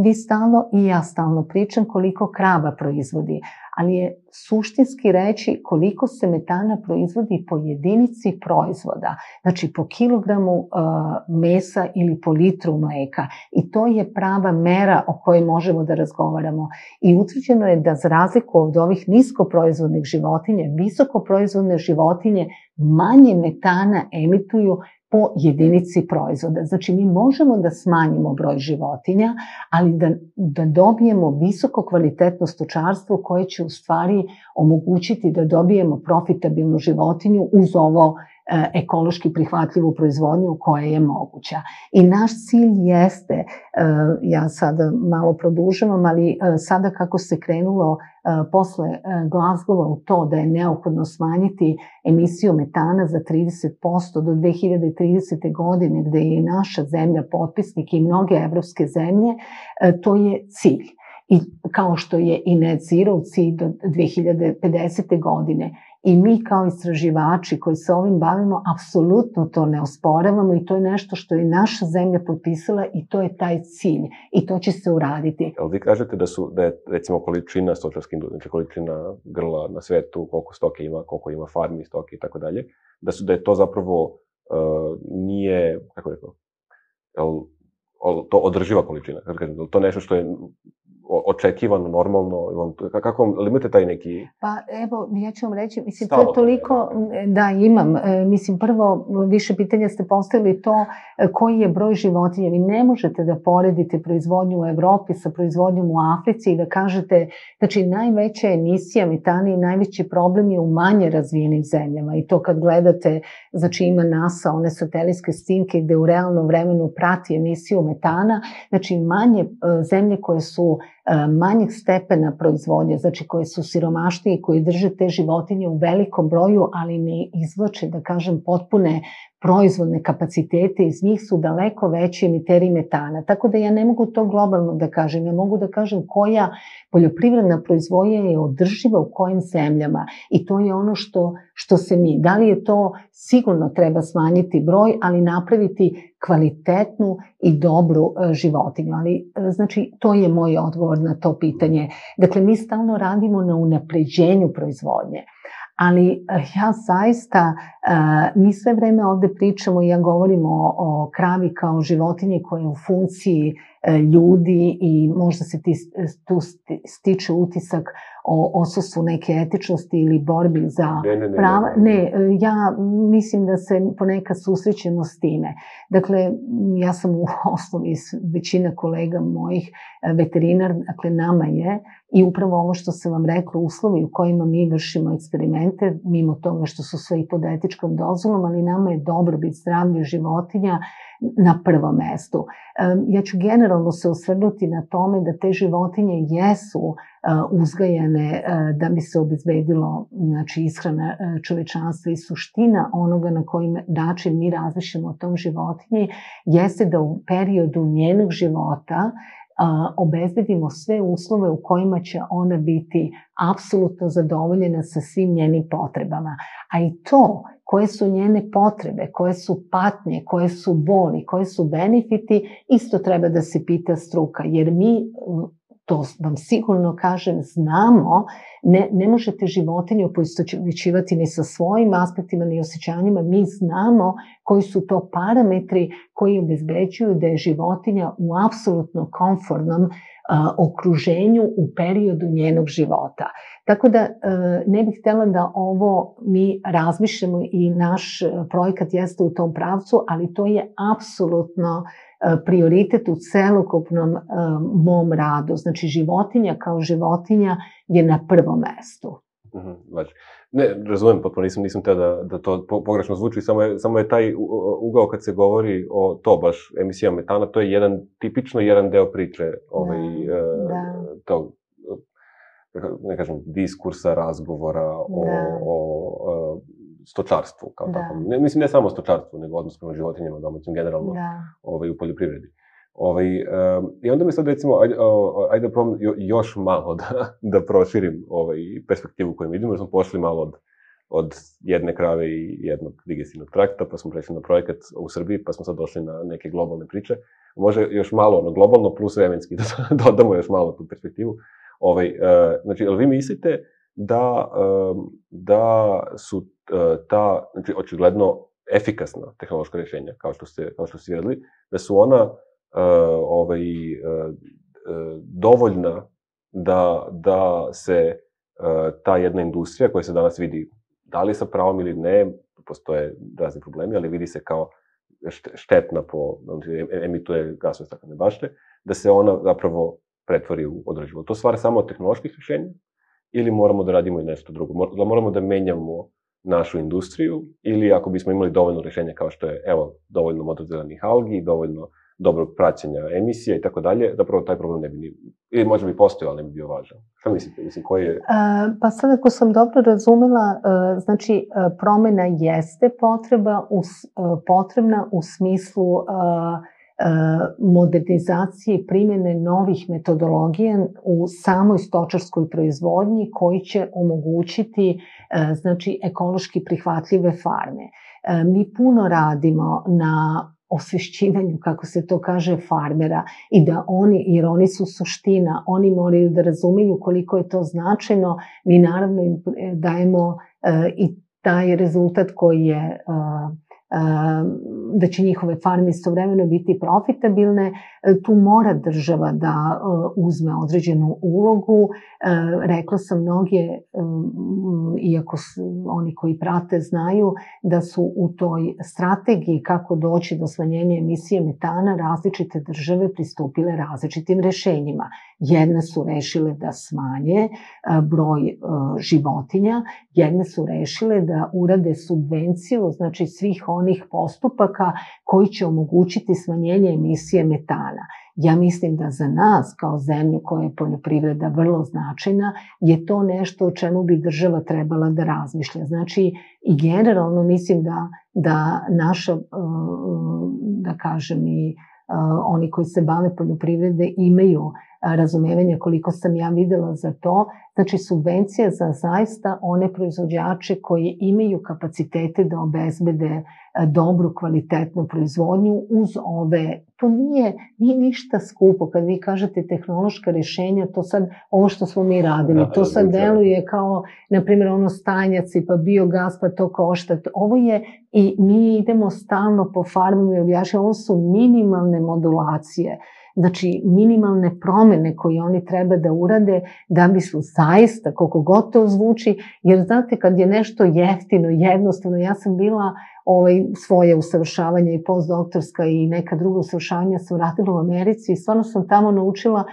vi stalno i ja stalno pričam koliko krava proizvodi, ali je suštinski reći koliko se metana proizvodi po jedinici proizvoda, znači po kilogramu mesa ili po litru mleka, i to je prava mera o kojoj možemo da razgovaramo. I utvrđeno je da za razliku od ovih niskoproizvodnih životinja, visokoproizvodne životinje manje metana emituju po jedinici proizvoda. Znači, mi možemo da smanjimo broj životinja, ali da dobijemo visoko kvalitetno stočarstvo koje će u stvari omogućiti da dobijemo profitabilnu životinju uz ovo ekološki prihvatljivu proizvodnju koja je moguća. I naš cilj jeste, ja sada malo produžavam, ali sada kako se krenulo posle Glasgowa u to da je neophodno smanjiti emisiju metana za 30% do 2030. godine, gde je i naša zemlja potpisnik i mnoge evropske zemlje, to je cilj. I kao što je i net zero cilj do 2050. godine. I mi kao istraživači koji se ovim bavimo, apsolutno to ne osporavamo i to je nešto što je naša zemlja potpisala i to je taj cilj i to će se uraditi.
Ali vi kažete da je recimo količina stočarske industrije, znači količina grla na svetu, koliko stoke ima, koliko ima farmi stoke i tako dalje, da je to zapravo nije, kako je to, to održiva količina, to nešto što je očekivano, normalno, kako vam imate taj neki...
Pa evo, ja ću vam reći, mislim, to je toliko, da imam, mislim, prvo, više pitanja ste postavili to koji je broj životinja. Vi ne možete da poredite proizvodnju u Evropi sa proizvodnjom u Africi i da kažete, znači, najveća emisija metana i najveći problem je u manje razvijenim zemljama i to kad gledate, znači ima NASA, one satelitske snimke gde u realnom vremenu prati emisiju metana, znači manje zemlje koje su manjeg stepena proizvodnje, znači koje su siromašnije i koji drže te životinje u velikom broju, ali ne izvlače, da kažem, potpune proizvodne kapacitete, iz njih su daleko veći emiteri metana. Tako da ja ne mogu to globalno da kažem, ja mogu da kažem koja poljoprivredna proizvodnja je održiva u kojim zemljama i to je ono što se mi, da li je to, sigurno treba smanjiti broj, ali napraviti kvalitetnu i dobru životinju. Ali, znači, to je moj odgovor na to pitanje. Dakle, mi stalno radimo na unapređenju proizvodnje. Ali ja zaista, mi sve vreme ovde pričamo i ja govorimo o kravi kao životinji koja je u funkciji ljudi i možda se tu stiče utisak o odsustvu neke etičnosti ili borbi za prava. Ne, ja mislim da se ponekad susrećemo s time. Dakle, ja sam u osnovi većina kolega mojih veterinar, dakle nama je i upravo ovo što sam vam rekla, uslovi u kojima mi vršimo eksperimente, mimo toga što su sve i pod etičkom dozvolom, ali nama je dobrobit zdravlje životinja na prvom mestu. Ja ću generalno se osvrnuti na tome da te životinje jesu uzgajane da bi se obezbedilo, znači, ishrana čovečanstva i suština onoga na koji način mi razmišljamo o tom životinji jeste da u periodu njenog života obezbedimo sve uslove u kojima će ona biti apsolutno zadovoljena sa svim njenim potrebama. A i to koje su njene potrebe, koje su patnje, koje su boli, koje su benefiti, isto treba da se pita struka, jer mi, to vam sigurno kažem, znamo, ne možete životinju poistovećivati ni sa svojim aspektima, ni osjećanjima, mi znamo koji su to parametri koji obezbeđuju da je životinja u apsolutno komfortnom okruženju u periodu njenog života. Tako da ne bih htela da ovo mi razmišljamo i naš projekat jeste u tom pravcu, ali to je apsolutno prioritet u celokupnom mom radu. Znači, životinja kao životinja je na prvom mestu.
Ne, razumem, potpuno nisam teo da to pogrešno zvuči, samo je taj ugao kad se govori o to baš emisija metana, to je tipično jedan deo priče tog, ne kažem, diskursa, razgovora o stočarstvu kao tako. Mislim, ne samo o stočarstvu, nego odnos prema životinjama domaćim, generalno u poljoprivredi. I onda mi sad, recimo, ajde da probam još malo da proširim perspektivu koju vidimo, jer smo pošli malo od jedne krave i jednog digestivnog trakta, pa smo prešli na projekat u Srbiji, pa smo sad došli na neke globalne priče. Može još malo globalno plus vremenski da dodamo još malo tu perspektivu. Znači, ali vi mislite da su ta, znači, očigledno efikasna tehnološka rješenja, kao što ste vidjeli, da su ona dovoljna da se ta jedna industrija koja se danas vidi, da li sa pravom ili ne, postoje razni problemi, ali vidi se kao štetna emituje gasove staklene bašte, da se ona zapravo pretvori u održivo. To stvar samo od tehnoloških rješenja ili moramo da radimo i nešto drugo? Da moramo da menjamo našu industriju ili ako bismo imali dovoljno rješenja kao što je, evo, dovoljno modrozelenih algi, dovoljno dobrog praćenja emisija i tako dalje, zapravo taj problem ne bi ili možda bi postojao, ali ne bi bio važan. Šta mislite? Mislim, koji je...
Pa sad, ako sam dobro razumela, znači, promena jeste potrebna u smislu modernizacije i primjene novih metodologija u samoj stočarskoj proizvodnji koji će omogućiti, znači, ekološki prihvatljive farme. Mi puno radimo na osvešćivanju, kako se to kaže, farmera i da oni, jer oni su suština, oni moraju da razumeju koliko je to značajno. Mi naravno im dajemo i taj rezultat koji je da će njihove farme istovremeno biti profitabilne, tu mora država da uzme određenu ulogu. Rekla sam, mnoge, iako oni koji prate znaju, da su u toj strategiji kako doći do smanjenja emisije metana različite države pristupile različitim rešenjima. Jedne su rešile da smanje broj životinja, jedne su rešile da urade subvenciju, znači svih onih postupaka koji će omogućiti smanjenje emisije metana. Ja mislim da za nas, kao zemlju koja je poljoprivreda vrlo značajna, je to nešto o čemu bi država trebala da razmišlja. Znači, i generalno mislim da naša, da kažem, i oni koji se bave poljoprivrede imaju razumevanja, koliko sam ja videla za to. Znači, subvencija za zaista one proizvođače koji imaju kapacitete da obezbede dobru, kvalitetnu proizvodnju uz ove. To nije ništa skupo. Kad vi kažete tehnološka rješenja, to sad, ovo što smo mi radili, to sad deluje kao, na primjer, ono stajnjaci, pa biogas, pa to košta. Ovo je, i mi idemo stalno po farmama i objašnjamo, ovo su minimalne modulacije. Znači, minimalne promene koje oni treba da urade da bi su zaista, koliko god to zvuči, jer znate, kad je nešto jeftino, jednostavno, ja sam bila svoje usavršavanje i postdoktorska i neka druga usavršavanja sam radila u Americi i stvarno sam tamo naučila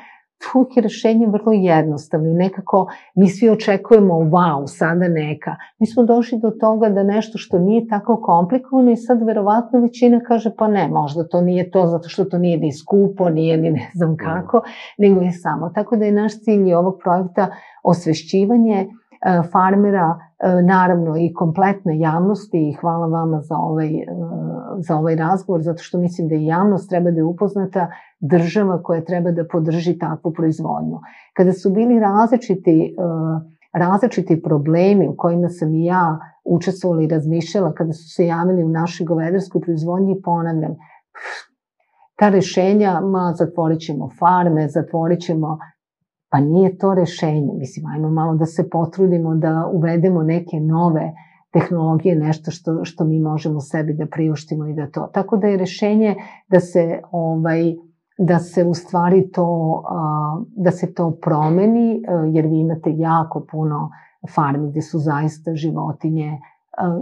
uvijek je rešenje vrlo jednostavno i nekako mi svi očekujemo wow, sada neka. Mi smo došli do toga da nešto što nije tako komplikovano i sad verovatno većina kaže pa ne, možda to nije to zato što to nije ni skupo, nije ni ne znam kako, nego je samo. Tako da je naš cilj i ovog projekta osvešćivanje farmera, naravno i kompletne javnosti i hvala vama za ovaj razgovor, zato što mislim da i javnost treba da je upoznata, država koja treba da podrži takvu proizvodnju. Kada su bili različiti problemi u kojima sam i ja učestvovala i razmišljala kada su se javili u našoj govedarskoj proizvodnji, ponavljam, ta rešenja, zatvorit ćemo farme, zatvorit ćemo. Pa nije to rešenje. Mislim, ajmo malo da se potrudimo da uvedemo neke nove tehnologije, nešto što mi možemo sebi da priuštimo i da to. Tako da je rešenje da se da se u stvari da se to promeni, jer vi imate jako puno farmi gde su zaista životinje.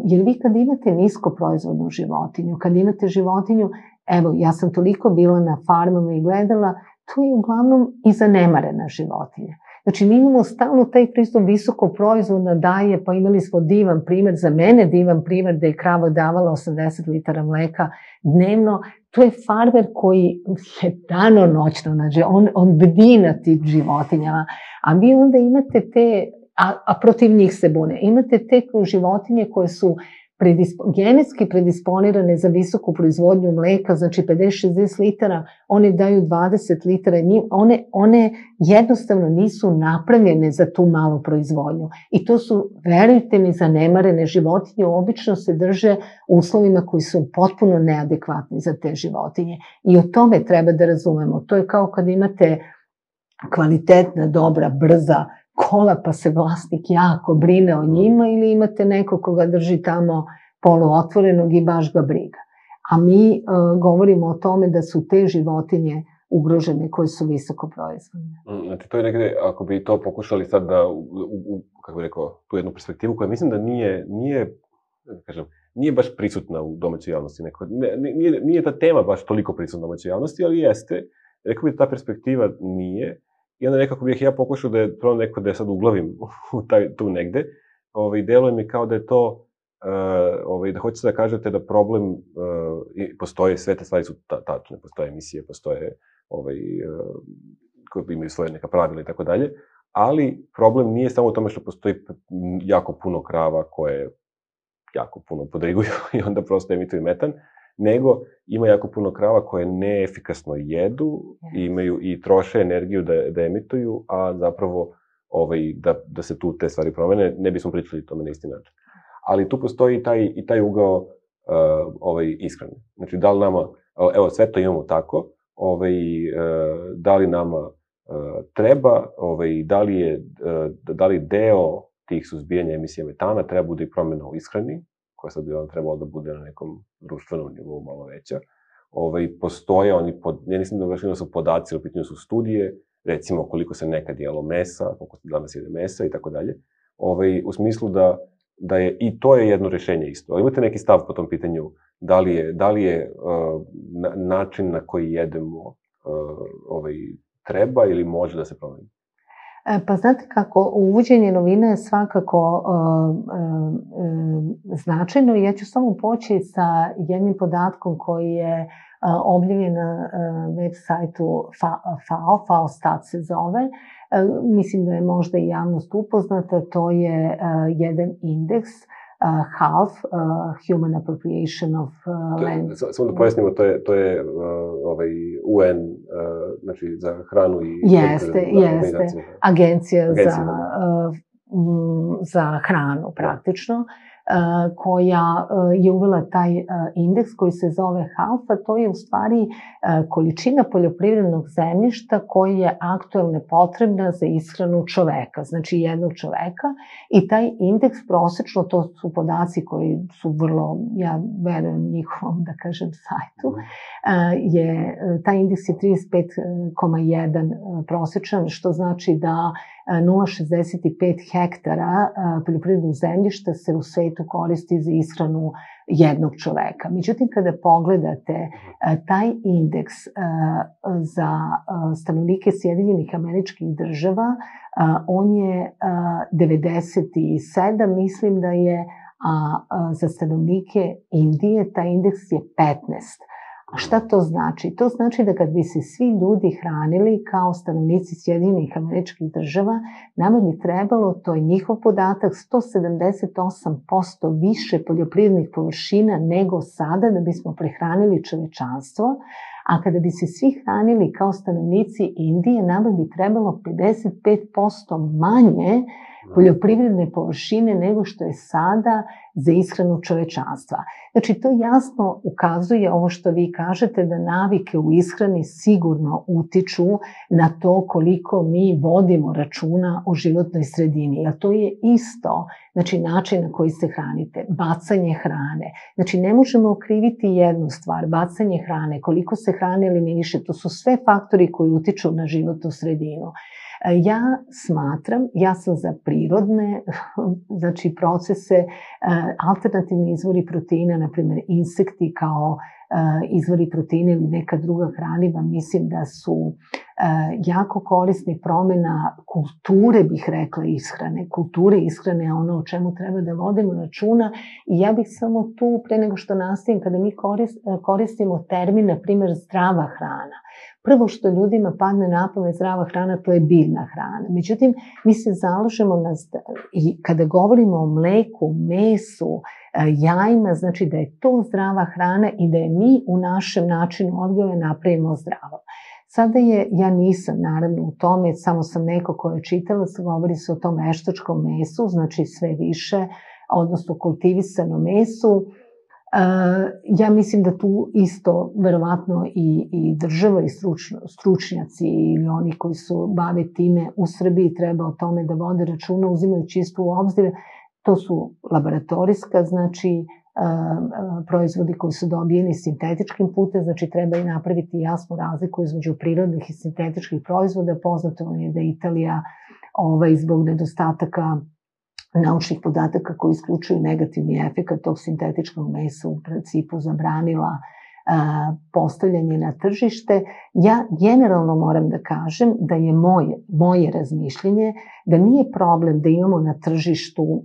Jer vi kad imate nisko proizvodnu životinju, kad imate životinju, evo, ja sam toliko bila na farmama i gledala, to je uglavnom i zanemarena životinja. Znači, mi imamo stalno taj pristup visoko proizvodna daje, pa imali smo divan primer, za mene divan primer da je krava davala 80 litara mleka dnevno. To je farmer koji je dano-noćno, znači, on bdi na tim životinjama, a vi onda imate te, a protiv njih se bune, imate te životinje koje su genetski predisponirane za visoku proizvodnju mleka, znači 50-60 litara, one daju 20 litara, one jednostavno nisu napravljene za tu malu proizvodnju. I to su, verujte mi, zanemarene životinje, obično se drže u uslovima koji su potpuno neadekvatni za te životinje. I o tome treba da razumemo. To je kao kad imate kvalitetna, dobra, brza kola, pa se vlasnik jako brine o njima, ili imate neko koga drži tamo poluotvorenog i baš ga briga. A mi govorimo o tome da su te životinje ugrožene koje su visoko proizvodne.
Znači, to je negde, ako bi to pokušali sad da, kako bih rekao, tu jednu perspektivu koja mislim da nije baš prisutna u domaćoj javnosti. Nije ta tema baš toliko prisutna u domaćoj javnosti, ali jeste. Rekao bih da ta perspektiva nije. I onda nekako bih ja pokušao da je prvo neko da je sad uglavim tu negde. Deluje mi kao da je to, da hoćete da kažete da problem postoje, sve te stvari su tačne, postoje emisije, postoje koje imaju svoje neka pravila i tako dalje, ali problem nije samo u tome što postoji jako puno krava koje jako puno podriguju i onda prosto emituju metan, nego ima jako puno krava koje neefikasno jedu, imaju i troše energiju da emituju, a zapravo da se tu te stvari promene, ne bismo pričali o tome na isti način. Ali tu postoji i taj ugao ishrane. Znači, da li nama, evo, sve to imamo tako, da li nama treba, da li deo tih suzbijanja emisije metana treba bude i promjena u ishrani, koja sad bi vam trebalo da bude na nekom društvenom nivou malo veća. Postoje oni, ja nisam da baš su podaci, u pitanju su studije, recimo koliko se nekad jelo mesa, koliko se danas jede mesa i tako dalje, u smislu da je, i to je jedno rešenje isto. Ali imate neki stav po tom pitanju, da li je način na koji jedemo treba ili može da se promeni?
Pa znate kako, uvođenje novina je svakako značajno. Ja ću samo poći sa jednim podatkom koji je objavljen na web sajtu FAO Stat se zove. Mislim da je možda i javnost upoznata. To je jedan indeks, HALF, Human Appropriation of Land.
Samo da pojasnimo, to je UN, znači za hranu i...
Jeste, agencija za hranu praktično, koja je uvela taj indeks koji se zove HALF, a to je u stvari količina poljoprivrednog zemljišta koji je aktuelno potrebna za ishranu čoveka, znači jednog čoveka, i taj indeks prosečno, to su podaci koji su vrlo, ja verujem njihovom, da kažem, sajtu, taj indeks je 35,1 prosečan, što znači da 0,65 hektara poljoprivrednog zemljišta se u svetu koristi za ishranu jednog čoveka. Međutim, kada pogledate taj indeks za stanovnike Sjedinjenih Američkih Država, on je 97, mislim da je, a za stanovnike Indije taj indeks je 15. A šta to znači? To znači da kad bi se svi ljudi hranili kao stanovnici Sjedinjenih Američkih Država, nama bi trebalo, to je njihov podatak, 178% više poljoprivrednih površina nego sada da bismo prehranili čovečanstvo, a kada bi se svi hranili kao stanovnici Indije, nama bi trebalo 55% manje poljoprivredne površine nego što je sada za ishranu čovečanstva. Znači, to jasno ukazuje ovo što vi kažete, da navike u ishrani sigurno utiču na to koliko mi vodimo računa o životnoj sredini. A to je isto znači način na koji se hranite, bacanje hrane. Znači ne možemo okriviti jednu stvar, bacanje hrane, koliko se hrane eliminiše, to su sve faktori koji utiču na životnu sredinu. Ja smatram, ja sam za prirodne znači procese, alternativni izvori proteina, na primjer insekti kao izvori proteina ili neka druga hraniva, mislim da su jako korisni. Promjena kulture, bih rekla, ishrane. Kulture ishrane je ono o čemu treba da vodimo računa i ja bih samo tu, pre nego što nastavim, kada mi koristimo termin, na primjer, zdrava hrana. Prvo što ljudima padne na pamet zdrava hrana, to je biljna hrana. Međutim, mi se zalažemo i kada govorimo o mleku, mesu, jajima, znači da je to zdrava hrana i da je mi u našem načinu odgoja napravimo zdravo. Sada ja nisam naravno u tome, samo sam neko ko je čitala, govori se o tom veštačkom mesu, znači sve više, odnosno kultivisanom mesu. Ja mislim da tu isto verovatno i država i stručnjaci ili oni koji su bave time u Srbiji treba o tome da vode računa, uzimajući isto u obzir. To su laboratorijska, znači proizvodi koji su dobijeni sintetičkim putem, znači treba i napraviti jasnu razliku između prirodnih i sintetičkih proizvoda. Poznato je da Italija zbog nedostataka naučnih podataka koji isključuju negativni efekat tog sintetičkog mesa u principu zabranila postavljanje na tržište. Ja generalno moram da kažem da je moje razmišljenje da nije problem da imamo na tržištu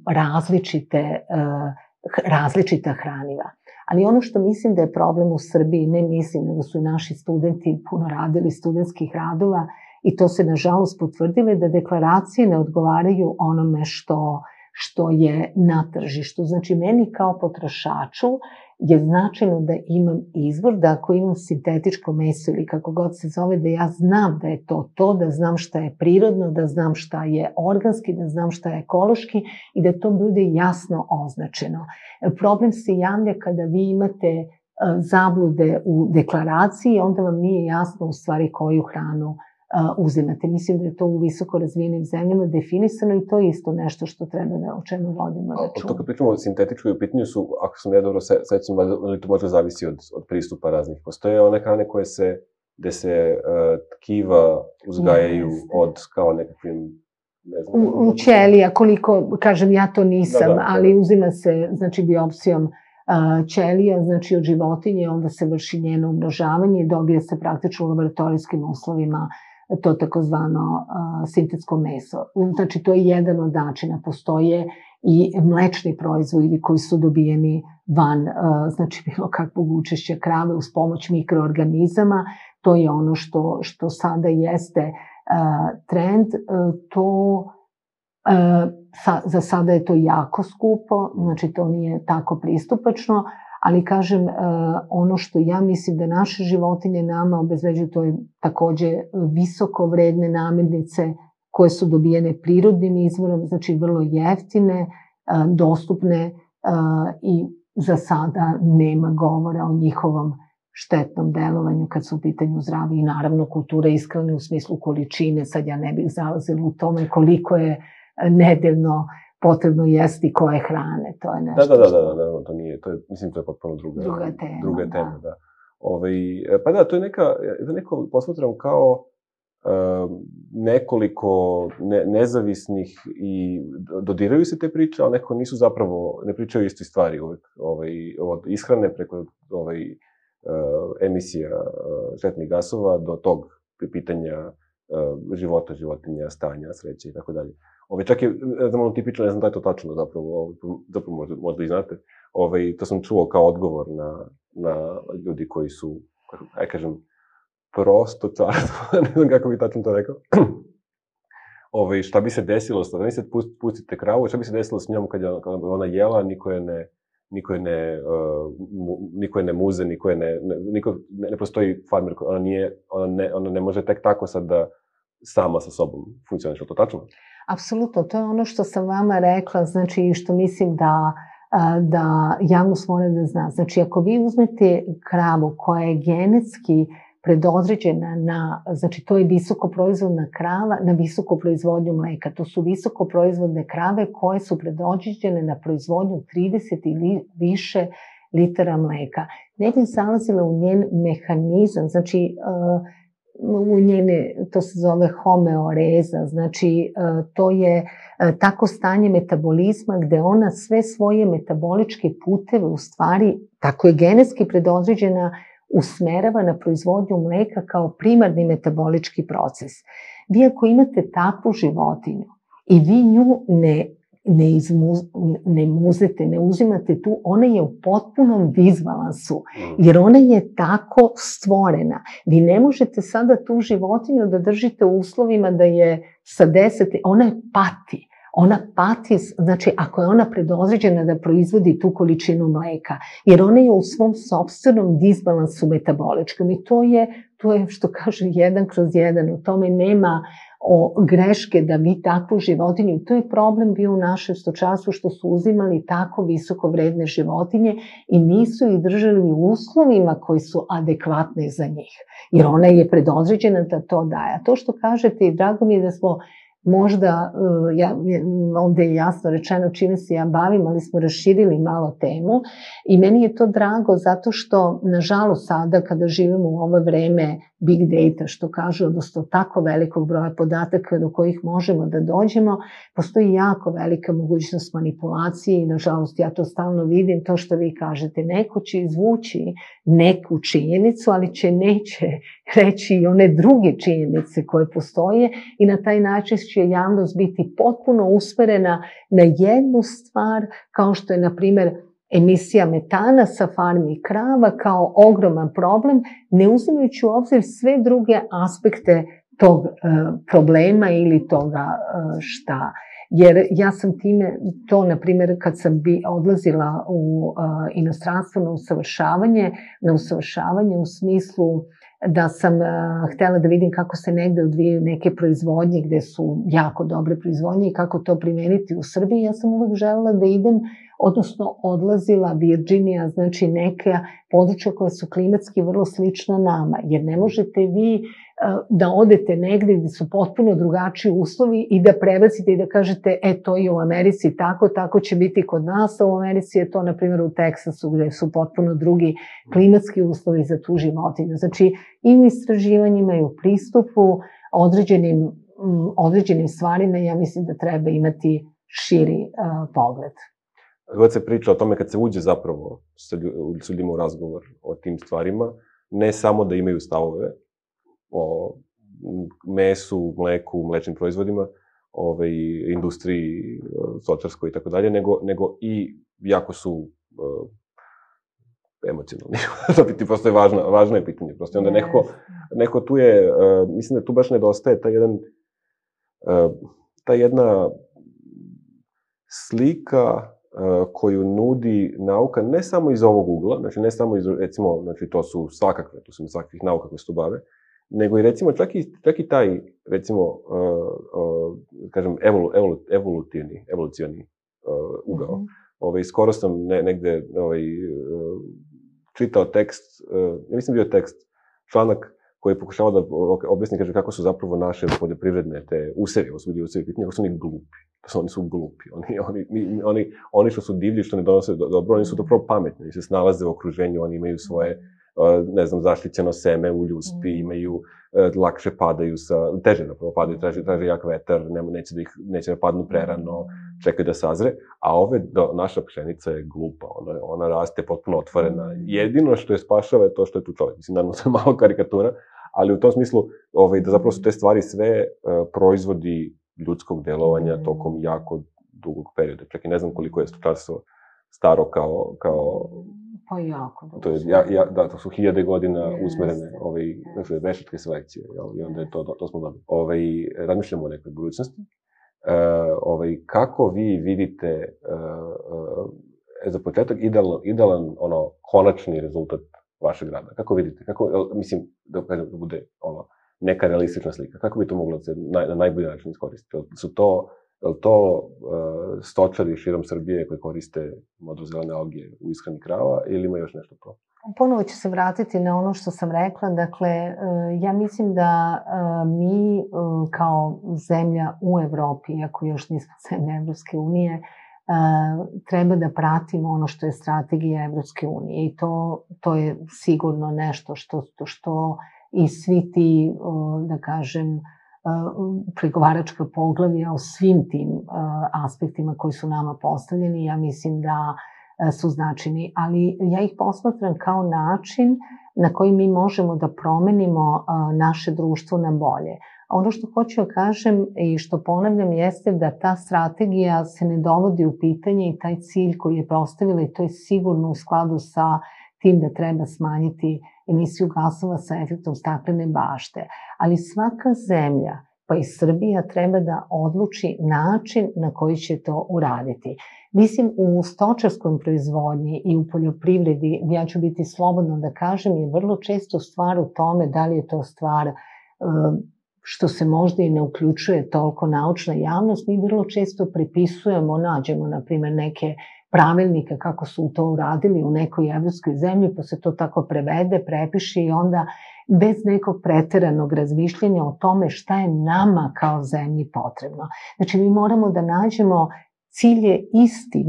različita hraniva. Ali ono što mislim da je problem u Srbiji, ne mislim, nego su naši studenti puno radili studentskih radova i to se nažalost potvrdilo da deklaracije ne odgovaraju onome što je na tržištu. Znači, meni kao potrošaču je značajno da imam izvor, da ako imam sintetičko meso ili kako god se zove, da ja znam da je to, da znam šta je prirodno, da znam šta je organski, da znam šta je ekološki i da to bude jasno označeno. Problem se javlja kada vi imate zablude u deklaraciji, onda vam nije jasno u stvari koju hranu uzimate. Mislim da je to u visoko razvijenim zemljama definisano i to je isto nešto što treba o čemu vodimo računa.
To kad pričamo o sintetičkoj, u pitanju su, ako sam ja dobro sećam, ali to možda zavisi od pristupa raznih. Postoje one hrane gde se tkiva uzgajaju od kao nekakvim, ne znam...
U ćelija, koliko, kažem, ja to nisam, ali uzima se, znači, biopsijom ćelija, znači od životinje, onda se vrši njeno umnožavanje i dobije se praktično u laboratorijskim uslovima to takozvano sintetsko meso. Znači, to je jedan od načina. Postoje i mlečni proizvodi koji su dobijeni van, znači bilo kakvog učešća krave uz pomoć mikroorganizama. To je ono što sada jeste trend. Za sada je to jako skupo, znači to nije tako pristupačno, ali kažem, ono što ja mislim da naše životinje nama obezbeđuju, to je takođe visoko vredne namirnice koje su dobijene prirodnim izvorom, znači vrlo jeftine, dostupne i za sada nema govora o njihovom štetnom delovanju kad su u pitanju zdravi i naravno kultura ishrane u smislu količine. Sad ja ne bih zalazila u tome koliko je nedeljno potrebno jesti koje hrane, to je nešto
Da, to nije, mislim, to je potpuno druga tema, da. Pa da, to je neko posmatram kao nekoliko nezavisnih i dodiraju se te priče, ali nekako nisu zapravo, ne pričaju isti stvari uvek, od ishrane preko emisija štetnih gasova do tog pitanja života, životinja, stanja, sreće i tako dalje. Čak je, znam, tipično, ne znam da je to tačno zapravo možda i znate, to sam čuo kao odgovor na ljudi koji su, aj kažem, prosto čarstvo, ne znam kako bi tačno to rekao. Šta bi se desilo, da mi se pustite kravu, šta bi se desilo s njom kad ona jela, niko je ne muze, ne postoji farmer, ona ne može tek tako sad da sama sa sobom funkcioniše, to tačno?
Apsolutno, to je ono što sam vama rekla, znači što mislim da javnost mora da zna. Znači, ako vi uzmete kravu koja je genetski predodređena znači to je visokoproizvodna krava na visoku proizvodnju mleka. To su visokoproizvodne krave koje su predodređene na proizvodnju 30 ili više litara mleka. Ne bih zalazila u njen mehanizam, znači u njene, to se zove homeoreza, znači to je tako stanje metabolizma gde ona sve svoje metaboličke puteve u stvari, tako je genetski predodređena, usmerava na proizvodnju mleka kao primarni metabolički proces. Vi ako imate takvu životinju i vi nju ne muzete, ne uzimate tu, ona je u potpunom disbalansu, jer ona je tako stvorena. Vi ne možete sada tu životinju da držite u uslovima da je sa 10, ona je pati. Ona pati, znači ako je ona predodređena da proizvodi tu količinu mleka, jer ona je u svom sopstvenom disbalansu metaboličkom i to je što kaže 1/1, u tome nema greške da vi takvu životinju, to je problem bio u našem stočarstvu što su uzimali tako visoko vredne životinje i nisu ih držali u uslovima koji su adekvatni za njih, jer ona je predodređena da to daje. A to što kažete i drago mi je da smo možda, ovde je jasno rečeno čime se ja bavim, ali smo raširili malo temu i meni je to drago zato što, nažalost, sada kada živimo u ovo vreme big data, što kaže, odnosno tako velikog broja podataka do kojih možemo da dođemo, postoji jako velika mogućnost manipulacije i, nažalost, ja to stalno vidim, to što vi kažete, neko će izvući neku činjenicu, ali neće reći i one druge činjenice koje postoje i na taj način će javnost biti potpuno usmerena na jednu stvar, kao što je, na primer, emisija metana sa farmi krava kao ogroman problem, ne uzimajući u obzir sve druge aspekte tog problema ili toga šta. Jer ja sam time, to na primjer kad sam odlazila u inostranstvo na usavršavanje u smislu da sam htela da vidim kako se negde odvijaju neke proizvodnje gde su jako dobre proizvodnje i kako to primeniti u Srbiji, ja sam uvek želela da idem, odnosno odlazila Virginija, znači neka područja koja su klimatski vrlo slična nama, jer ne možete vi da odete negde gde su potpuno drugačiji uslovi i da prebacite i da kažete, to je u Americi tako, tako će biti kod nas, a u Americi je to, na primjer, u Teksasu gde su potpuno drugi klimatski uslovi za tu životinju. Znači, i u istraživanjima i u pristupu određenim stvarima, ja mislim da treba imati širi pogled.
God se priča o tome kad se uđe zapravo s ljudima u razgovor o tim stvarima, ne samo da imaju stavove o mesu, mleku, mlečnim proizvodima, industriji, stočarskoj i tako dalje, nego i jako su emocionalni. To prosto je važno je pitanje. Prosto onda neko tu je, mislim da tu baš nedostaje ta jedna slika koju nudi nauka, ne samo iz ovog ugla, znači ne samo iz, recimo, znači to su svakakvih nauka koje se tu bave, nego i recimo čak i taj, recimo, kažem, evolucioni ugao. Skoro sam negde čitao tekst, mislim bio tekst, članak koji je pokušavao da objasni, kaže, kako su zapravo naše poljoprivredne te usevi, ovo su bili usevi pitanja, kako su oni glupi. Oni su glupi. Oni što su divlji, što ne donose dobro, oni su zapravo pametni. Oni se snalaze u okruženju, oni imaju svoje, ne znam, zaštićeno seme u ljuspi, imaju, lakše padaju teže napravo padaju, traže jak vetar, neće da padnu prerano, čekaju da sazre, a naša pšenica je glupa, ona raste potpuno otvorena. Jedino što je spašava je to što je tu čovjek. Mislim, naravno, to je malo karikatura, ali u tom smislu da zapravo su te stvari sve proizvodi ljudskog delovanja tokom jako dugog perioda. Čak i ne znam koliko je stočarstvo staro kao...
Pa jako dugo.
Da, to su 1000 godina usmerene veštačke selekcije, i onda je to smo dobili. Razmišljamo o nekoj budućnosti. Kako vi vidite za početak idealan konačni rezultat vašeg rada? Kako vidite? Mislim, da bude neka realistična slika. Kako bi to moglo da se na najbolji način iskoristiti? Su to stočari širom Srbije koji koriste modrozelene alge u ishrani krava ili ima još nešto to?
Ponovo ću se vratiti na ono što sam rekla. Dakle, ja mislim da mi kao zemlja u Evropi, iako još nismo zemlja Evropske unije, treba da pratimo ono što je strategija Evropske unije i to je sigurno nešto što i svi ti, da kažem, pregovaračka poglavlja o svim tim aspektima koji su nama postavljeni, ja mislim da su značajni, ali ja ih posmatram kao način na koji mi možemo da promenimo naše društvo na bolje. A ono što hoću da kažem i što ponavljam jeste da ta strategija se ne dovodi u pitanje i taj cilj koji je postavila, i to je sigurno u skladu sa tim da treba smanjiti emisiju gasova sa efektom staklene bašte. Ali svaka zemlja, pa i Srbija, treba da odluči način na koji će to uraditi. Mislim, u stočarskoj proizvodnji i u poljoprivredi, ja ću biti slobodno da kažem, je vrlo često stvar u tome da li je to stvar što se možda i ne uključuje toliko naučna javnost. Mi vrlo često prepisujemo, nađemo, na primjer, neke pravilnike kako su to uradili u nekoj evropskoj zemlji, pa se to tako prevede, prepiše i onda bez nekog preteranog razmišljenja o tome šta je nama kao zemlji potrebno. Znači, mi moramo da nađemo, cilj je isti,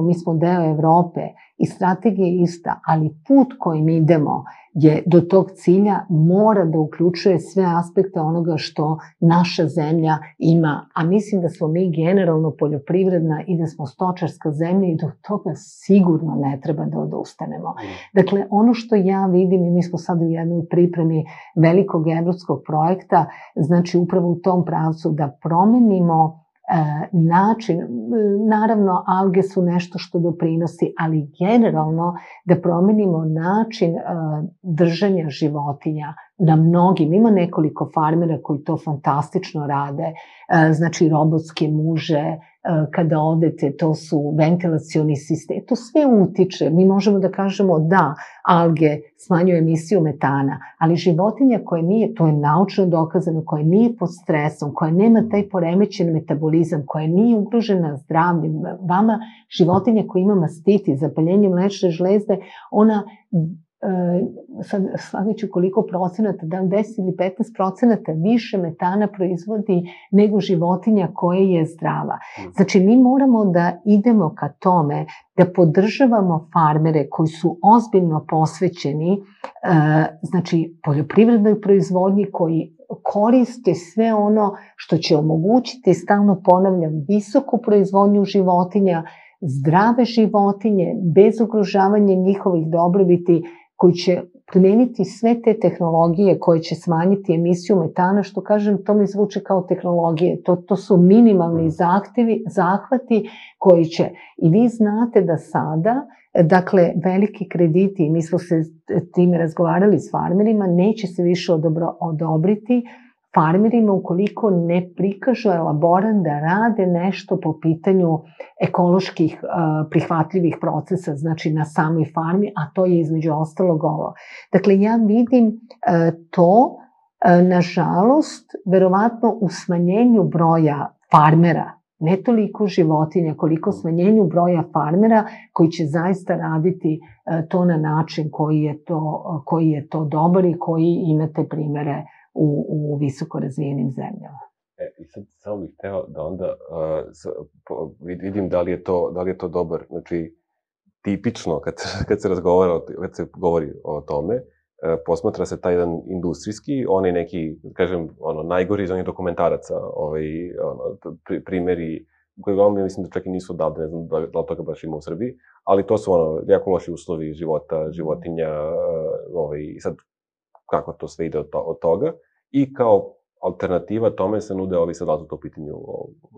mi smo deo Evrope i strategija je ista, ali put kojim idemo je do tog cilja mora da uključuje sve aspekte onoga što naša zemlja ima. A mislim da smo mi generalno poljoprivredna i da smo stočarska zemlja i do toga sigurno ne treba da odustanemo. Dakle, ono što ja vidim, i mi smo sad u jednoj pripremi velikog evropskog projekta, znači upravo u tom pravcu da promenimo način, naravno alge su nešto što doprinosi, ali generalno da promenimo način držanja životinja na mnogim. Ima nekoliko farmera koji to fantastično rade, znači robotske muže, kada odete, to su ventilacioni sistemi, to sve utiče. Mi možemo da kažemo da alge smanjuju emisiju metana, ali životinja koja nije, to je naučno dokazano, koja nije pod stresom, koja nema taj poremećen metabolizam, koja nije ugrožena zdravljem, vama životinja koja ima mastitis, zapaljenje mlečne žlezde, ona sad slagaću koliko procenata, da 10 ili 15% više metana proizvodi nego životinja koja je zdrava. Znači, mi moramo da idemo ka tome da podržavamo farmere koji su ozbiljno posvećeni, znači, poljoprivrednoj proizvodnji, koji koriste sve ono što će omogućiti, stalno ponavljam, visoku proizvodnju životinja, zdrave životinje, bez ugrožavanja njihovih dobrobiti, koji će primeniti sve te tehnologije koje će smanjiti emisiju metana, što kažem, to mi zvuče kao tehnologije. To su minimalni zahvati koji će. I vi znate da sada, dakle, veliki krediti, mi smo se time razgovarali s farmerima, neće se više odobriti farmerima ukoliko ne prikažu elaborat da rade nešto po pitanju ekoloških prihvatljivih procesa, znači na samoj farmi, a to je između ostalog ovo. Dakle, ja vidim to, nažalost, verovatno u smanjenju broja farmera, ne toliko životinja, koliko smanjenju broja farmera koji će zaista raditi to na način koji je to dobar i koji imate primere u visoko razvijenim zemljama.
I sad samo bih hteo da onda vidim da li je to dobar, znači tipično kad se govori o tome, posmatra se taj jedan industrijski, onaj neki, kažem, najgori iz onih dokumentaraca, primeri koji uglavnom mislim da čak i nisu odavde, ne znam da li toga baš ima u Srbiji, ali to su jako loši uslovi života, životinja, i sad kako to sve ide od toga. I kao alternativa tome se nude ovi, sad da su to u pitanju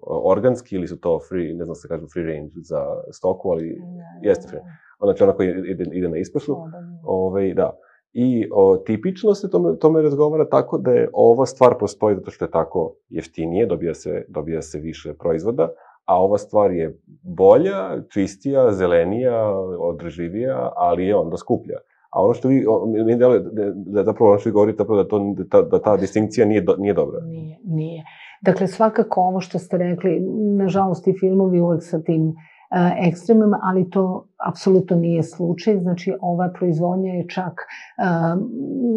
organski ili su to free, ne znam se kažu free range za stoku, ali jeste free. Znači ona koja ide na ispašu. Da. I tipično se tome razgovara tako da je ova stvar postoji zato što je tako jeftinije, dobija se više proizvoda, a ova stvar je bolja, čistija, zelenija, održivija, ali je onda skuplja. A ono što mi deluje, da zapravo ono što vi govorite, da ta distinkcija nije dobra.
Nije. Dakle, svakako ovo što ste rekli, nažalost i filmovi uvek sa tim ekstremom, ali to apsolutno nije slučaj. Znači, ova proizvodnja je čak,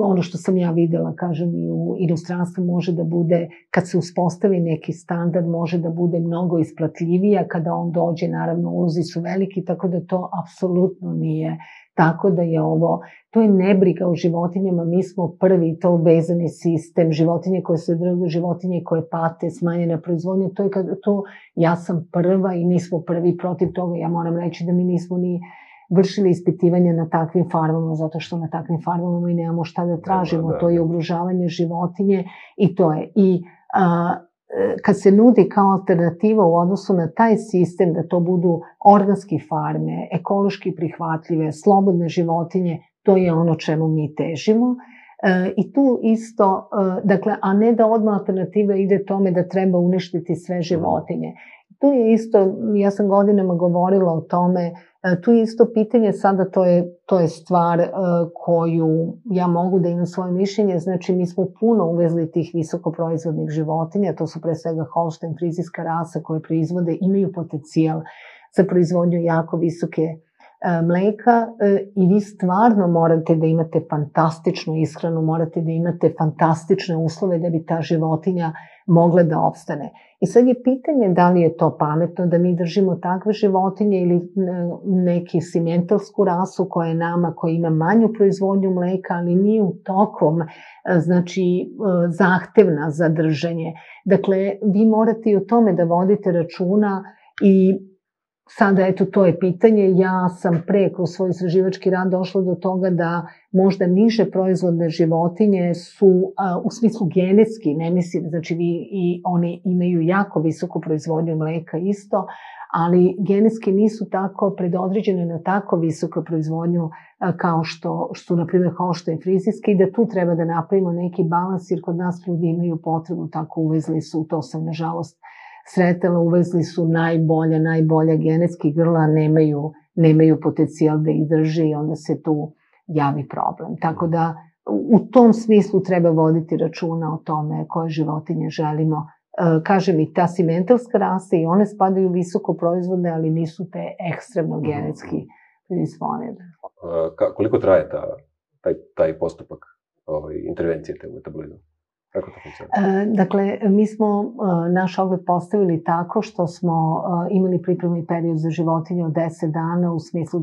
ono što sam ja videla, kažem, i u inostranstvu može da bude, kad se uspostavi neki standard, može da bude mnogo isplatljivija, kada on dođe, naravno, ulozi su veliki, tako da to apsolutno nije tako da je ovo, to je nebriga o životinjama, mi smo prvi, to vezani sistem, životinje koje se drže, životinje koje pate, smanjena proizvodnja, ja sam prva i mi smo prvi protiv toga. Ja moram reći da mi nismo ni vršili ispitivanja na takvim farmama, zato što na takvim farmama mi nemamo šta da tražimo, to je ugrožavanje životinje i to je. I kad se nudi kao alternativa u odnosu na taj sistem, da to budu organske farme, ekološki prihvatljive, slobodne životinje, to je ono čemu mi težimo. I tu isto, dakle, a ne da odmah alternativa ide tome da treba uništiti sve životinje. Tu je isto, ja sam godinama govorila o tome, tu je isto pitanje, sada to je stvar koju ja mogu da imam svoje mišljenje, znači mi smo puno uvezli tih visokoproizvodnih životinja, to su pre svega Holštajn, frizijska rasa koje proizvode, imaju potencijal za proizvodnju jako visoke mleka i vi stvarno morate da imate fantastičnu ishranu, morate da imate fantastične uslove da bi ta životinja mogla da opstane. I sad je pitanje da li je to pametno da mi držimo takve životinje ili neki simentalsku rasu koja je nama, koja ima manju proizvodnju mleka, ali nije u tokom, znači, zahtevna za držanje. Dakle, vi morate i o tome da vodite računa i sada, eto, to je pitanje. Ja sam kroz svoj istraživački rad došla do toga da možda niže proizvodne životinje su, u smislu genetski, ne mislim, znači i oni imaju jako visoku proizvodnju mleka isto, ali genetski nisu tako predodređene na tako visoku proizvodnju kao što su, na primjer, Holštajn frizijski, i da tu treba da napravimo neki balans, jer kod nas ljudi imaju potrebu, tako uvezli su, to sam nažalost sretala, uvezli su najbolja genetski grla, nemaju potencijal da ih drže i onda se tu javi problem. Tako da u tom smislu treba voditi računa o tome koje životinje želimo. Kažem, i ta simentalska rasa i one spadaju visoko proizvodne, ali nisu te ekstremno genetski predisponirane.
Koliko traje taj postupak intervencije te u metabolizmu? Kako to funkcionira?
Dakle, mi smo naš ogled postavili tako što smo imali pripremni period za životinje od 10 dana, u smislu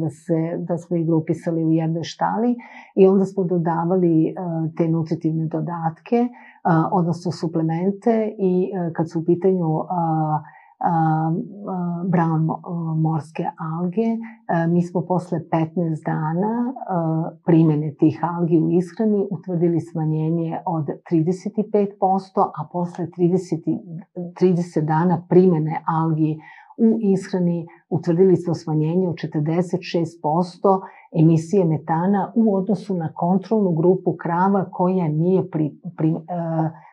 da smo ih grupisali u jednoj štali i onda smo dodavali te nutritivne dodatke, odnosno suplemente, i kad su u pitanju brown morske alge, mi smo posle 15 dana primene tih algi u ishrani utvrdili smanjenje od 35%, a posle 30 dana primene algi u ishrani utvrdili smo smanjenje od 46% emisije metana u odnosu na kontrolnu grupu krava koja nije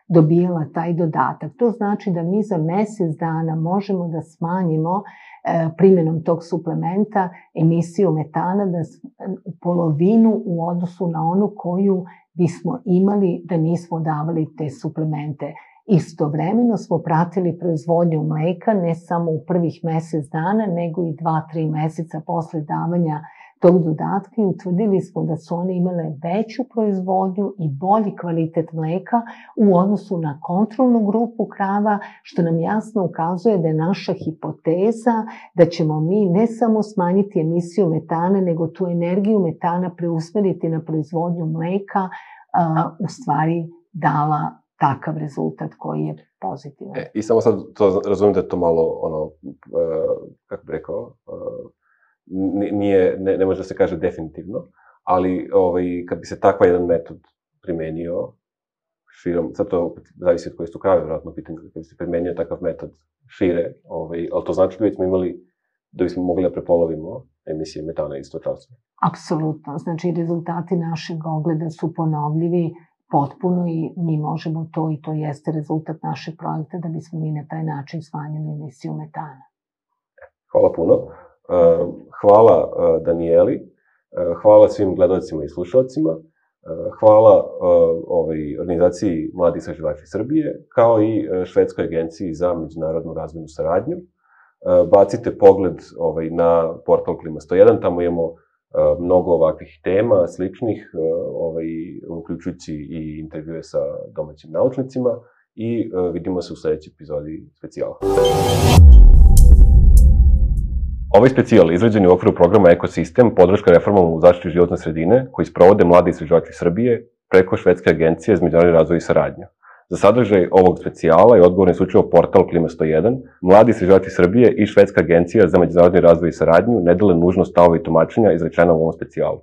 dobijala taj dodatak. To znači da mi za mesec dana možemo da smanjimo primjenom tog suplementa emisiju metana u polovinu u odnosu na onu koju bismo imali da nismo davali te suplemente. Istovremeno smo pratili proizvodnju mleka ne samo u prvih mesec dana, nego i 2-3 meseca posle davanja tog dodatka i utvrdili smo da su one imale veću proizvodnju i bolji kvalitet mleka u odnosu na kontrolnu grupu krava, što nam jasno ukazuje da je naša hipoteza da ćemo mi ne samo smanjiti emisiju metana, nego tu energiju metana preusmeriti na proizvodnju mleka, u stvari dala takav rezultat koji je pozitivan.
I samo sad to razumijem da je to malo, kako bih rekao, ne može da se kaže definitivno, ali kad bi se takva jedan metod primenio širom, sad to zavisi od koje su krave, vjerojatno pitanje, kad bi se primenio takav metod šire, ali to znači da bismo mogli da prepolovimo emisije metana iz stočarstva.
Apsolutno, znači rezultati našeg ogleda su ponovljivi potpuno i mi možemo to, i to jeste rezultat našeg projekta, da bismo mi na taj način smanjili emisiju metana.
Hvala puno. Hvala Danijeli, hvala svim gledalcima i slušalcima, hvala organizaciji Mladi istraživači Srbije, kao i Švedskoj agenciji za međunarodnu razvojnu saradnju. bacite pogled na portal Klima 101, tamo imamo mnogo ovakvih tema, sličnih, uključujući i intervjue sa domaćim naučnicima i vidimo se u sledećoj epizodi specijala. Ovaj specijal izrađen je u okviru programa Ekosistem, podrška reformama u zaštiti životne sredine, koji sprovode mladi istraživači Srbije preko Švedske agencije za međunarodni razvoj i saradnju. Za sadržaj ovog specijala je odgovoran isključivo portal Klima 101, mladi istraživači Srbije i Švedska agencija za međunarodni razvoj i saradnju ne dele nužno stavove i tumačenja izrečena u ovom specijalu.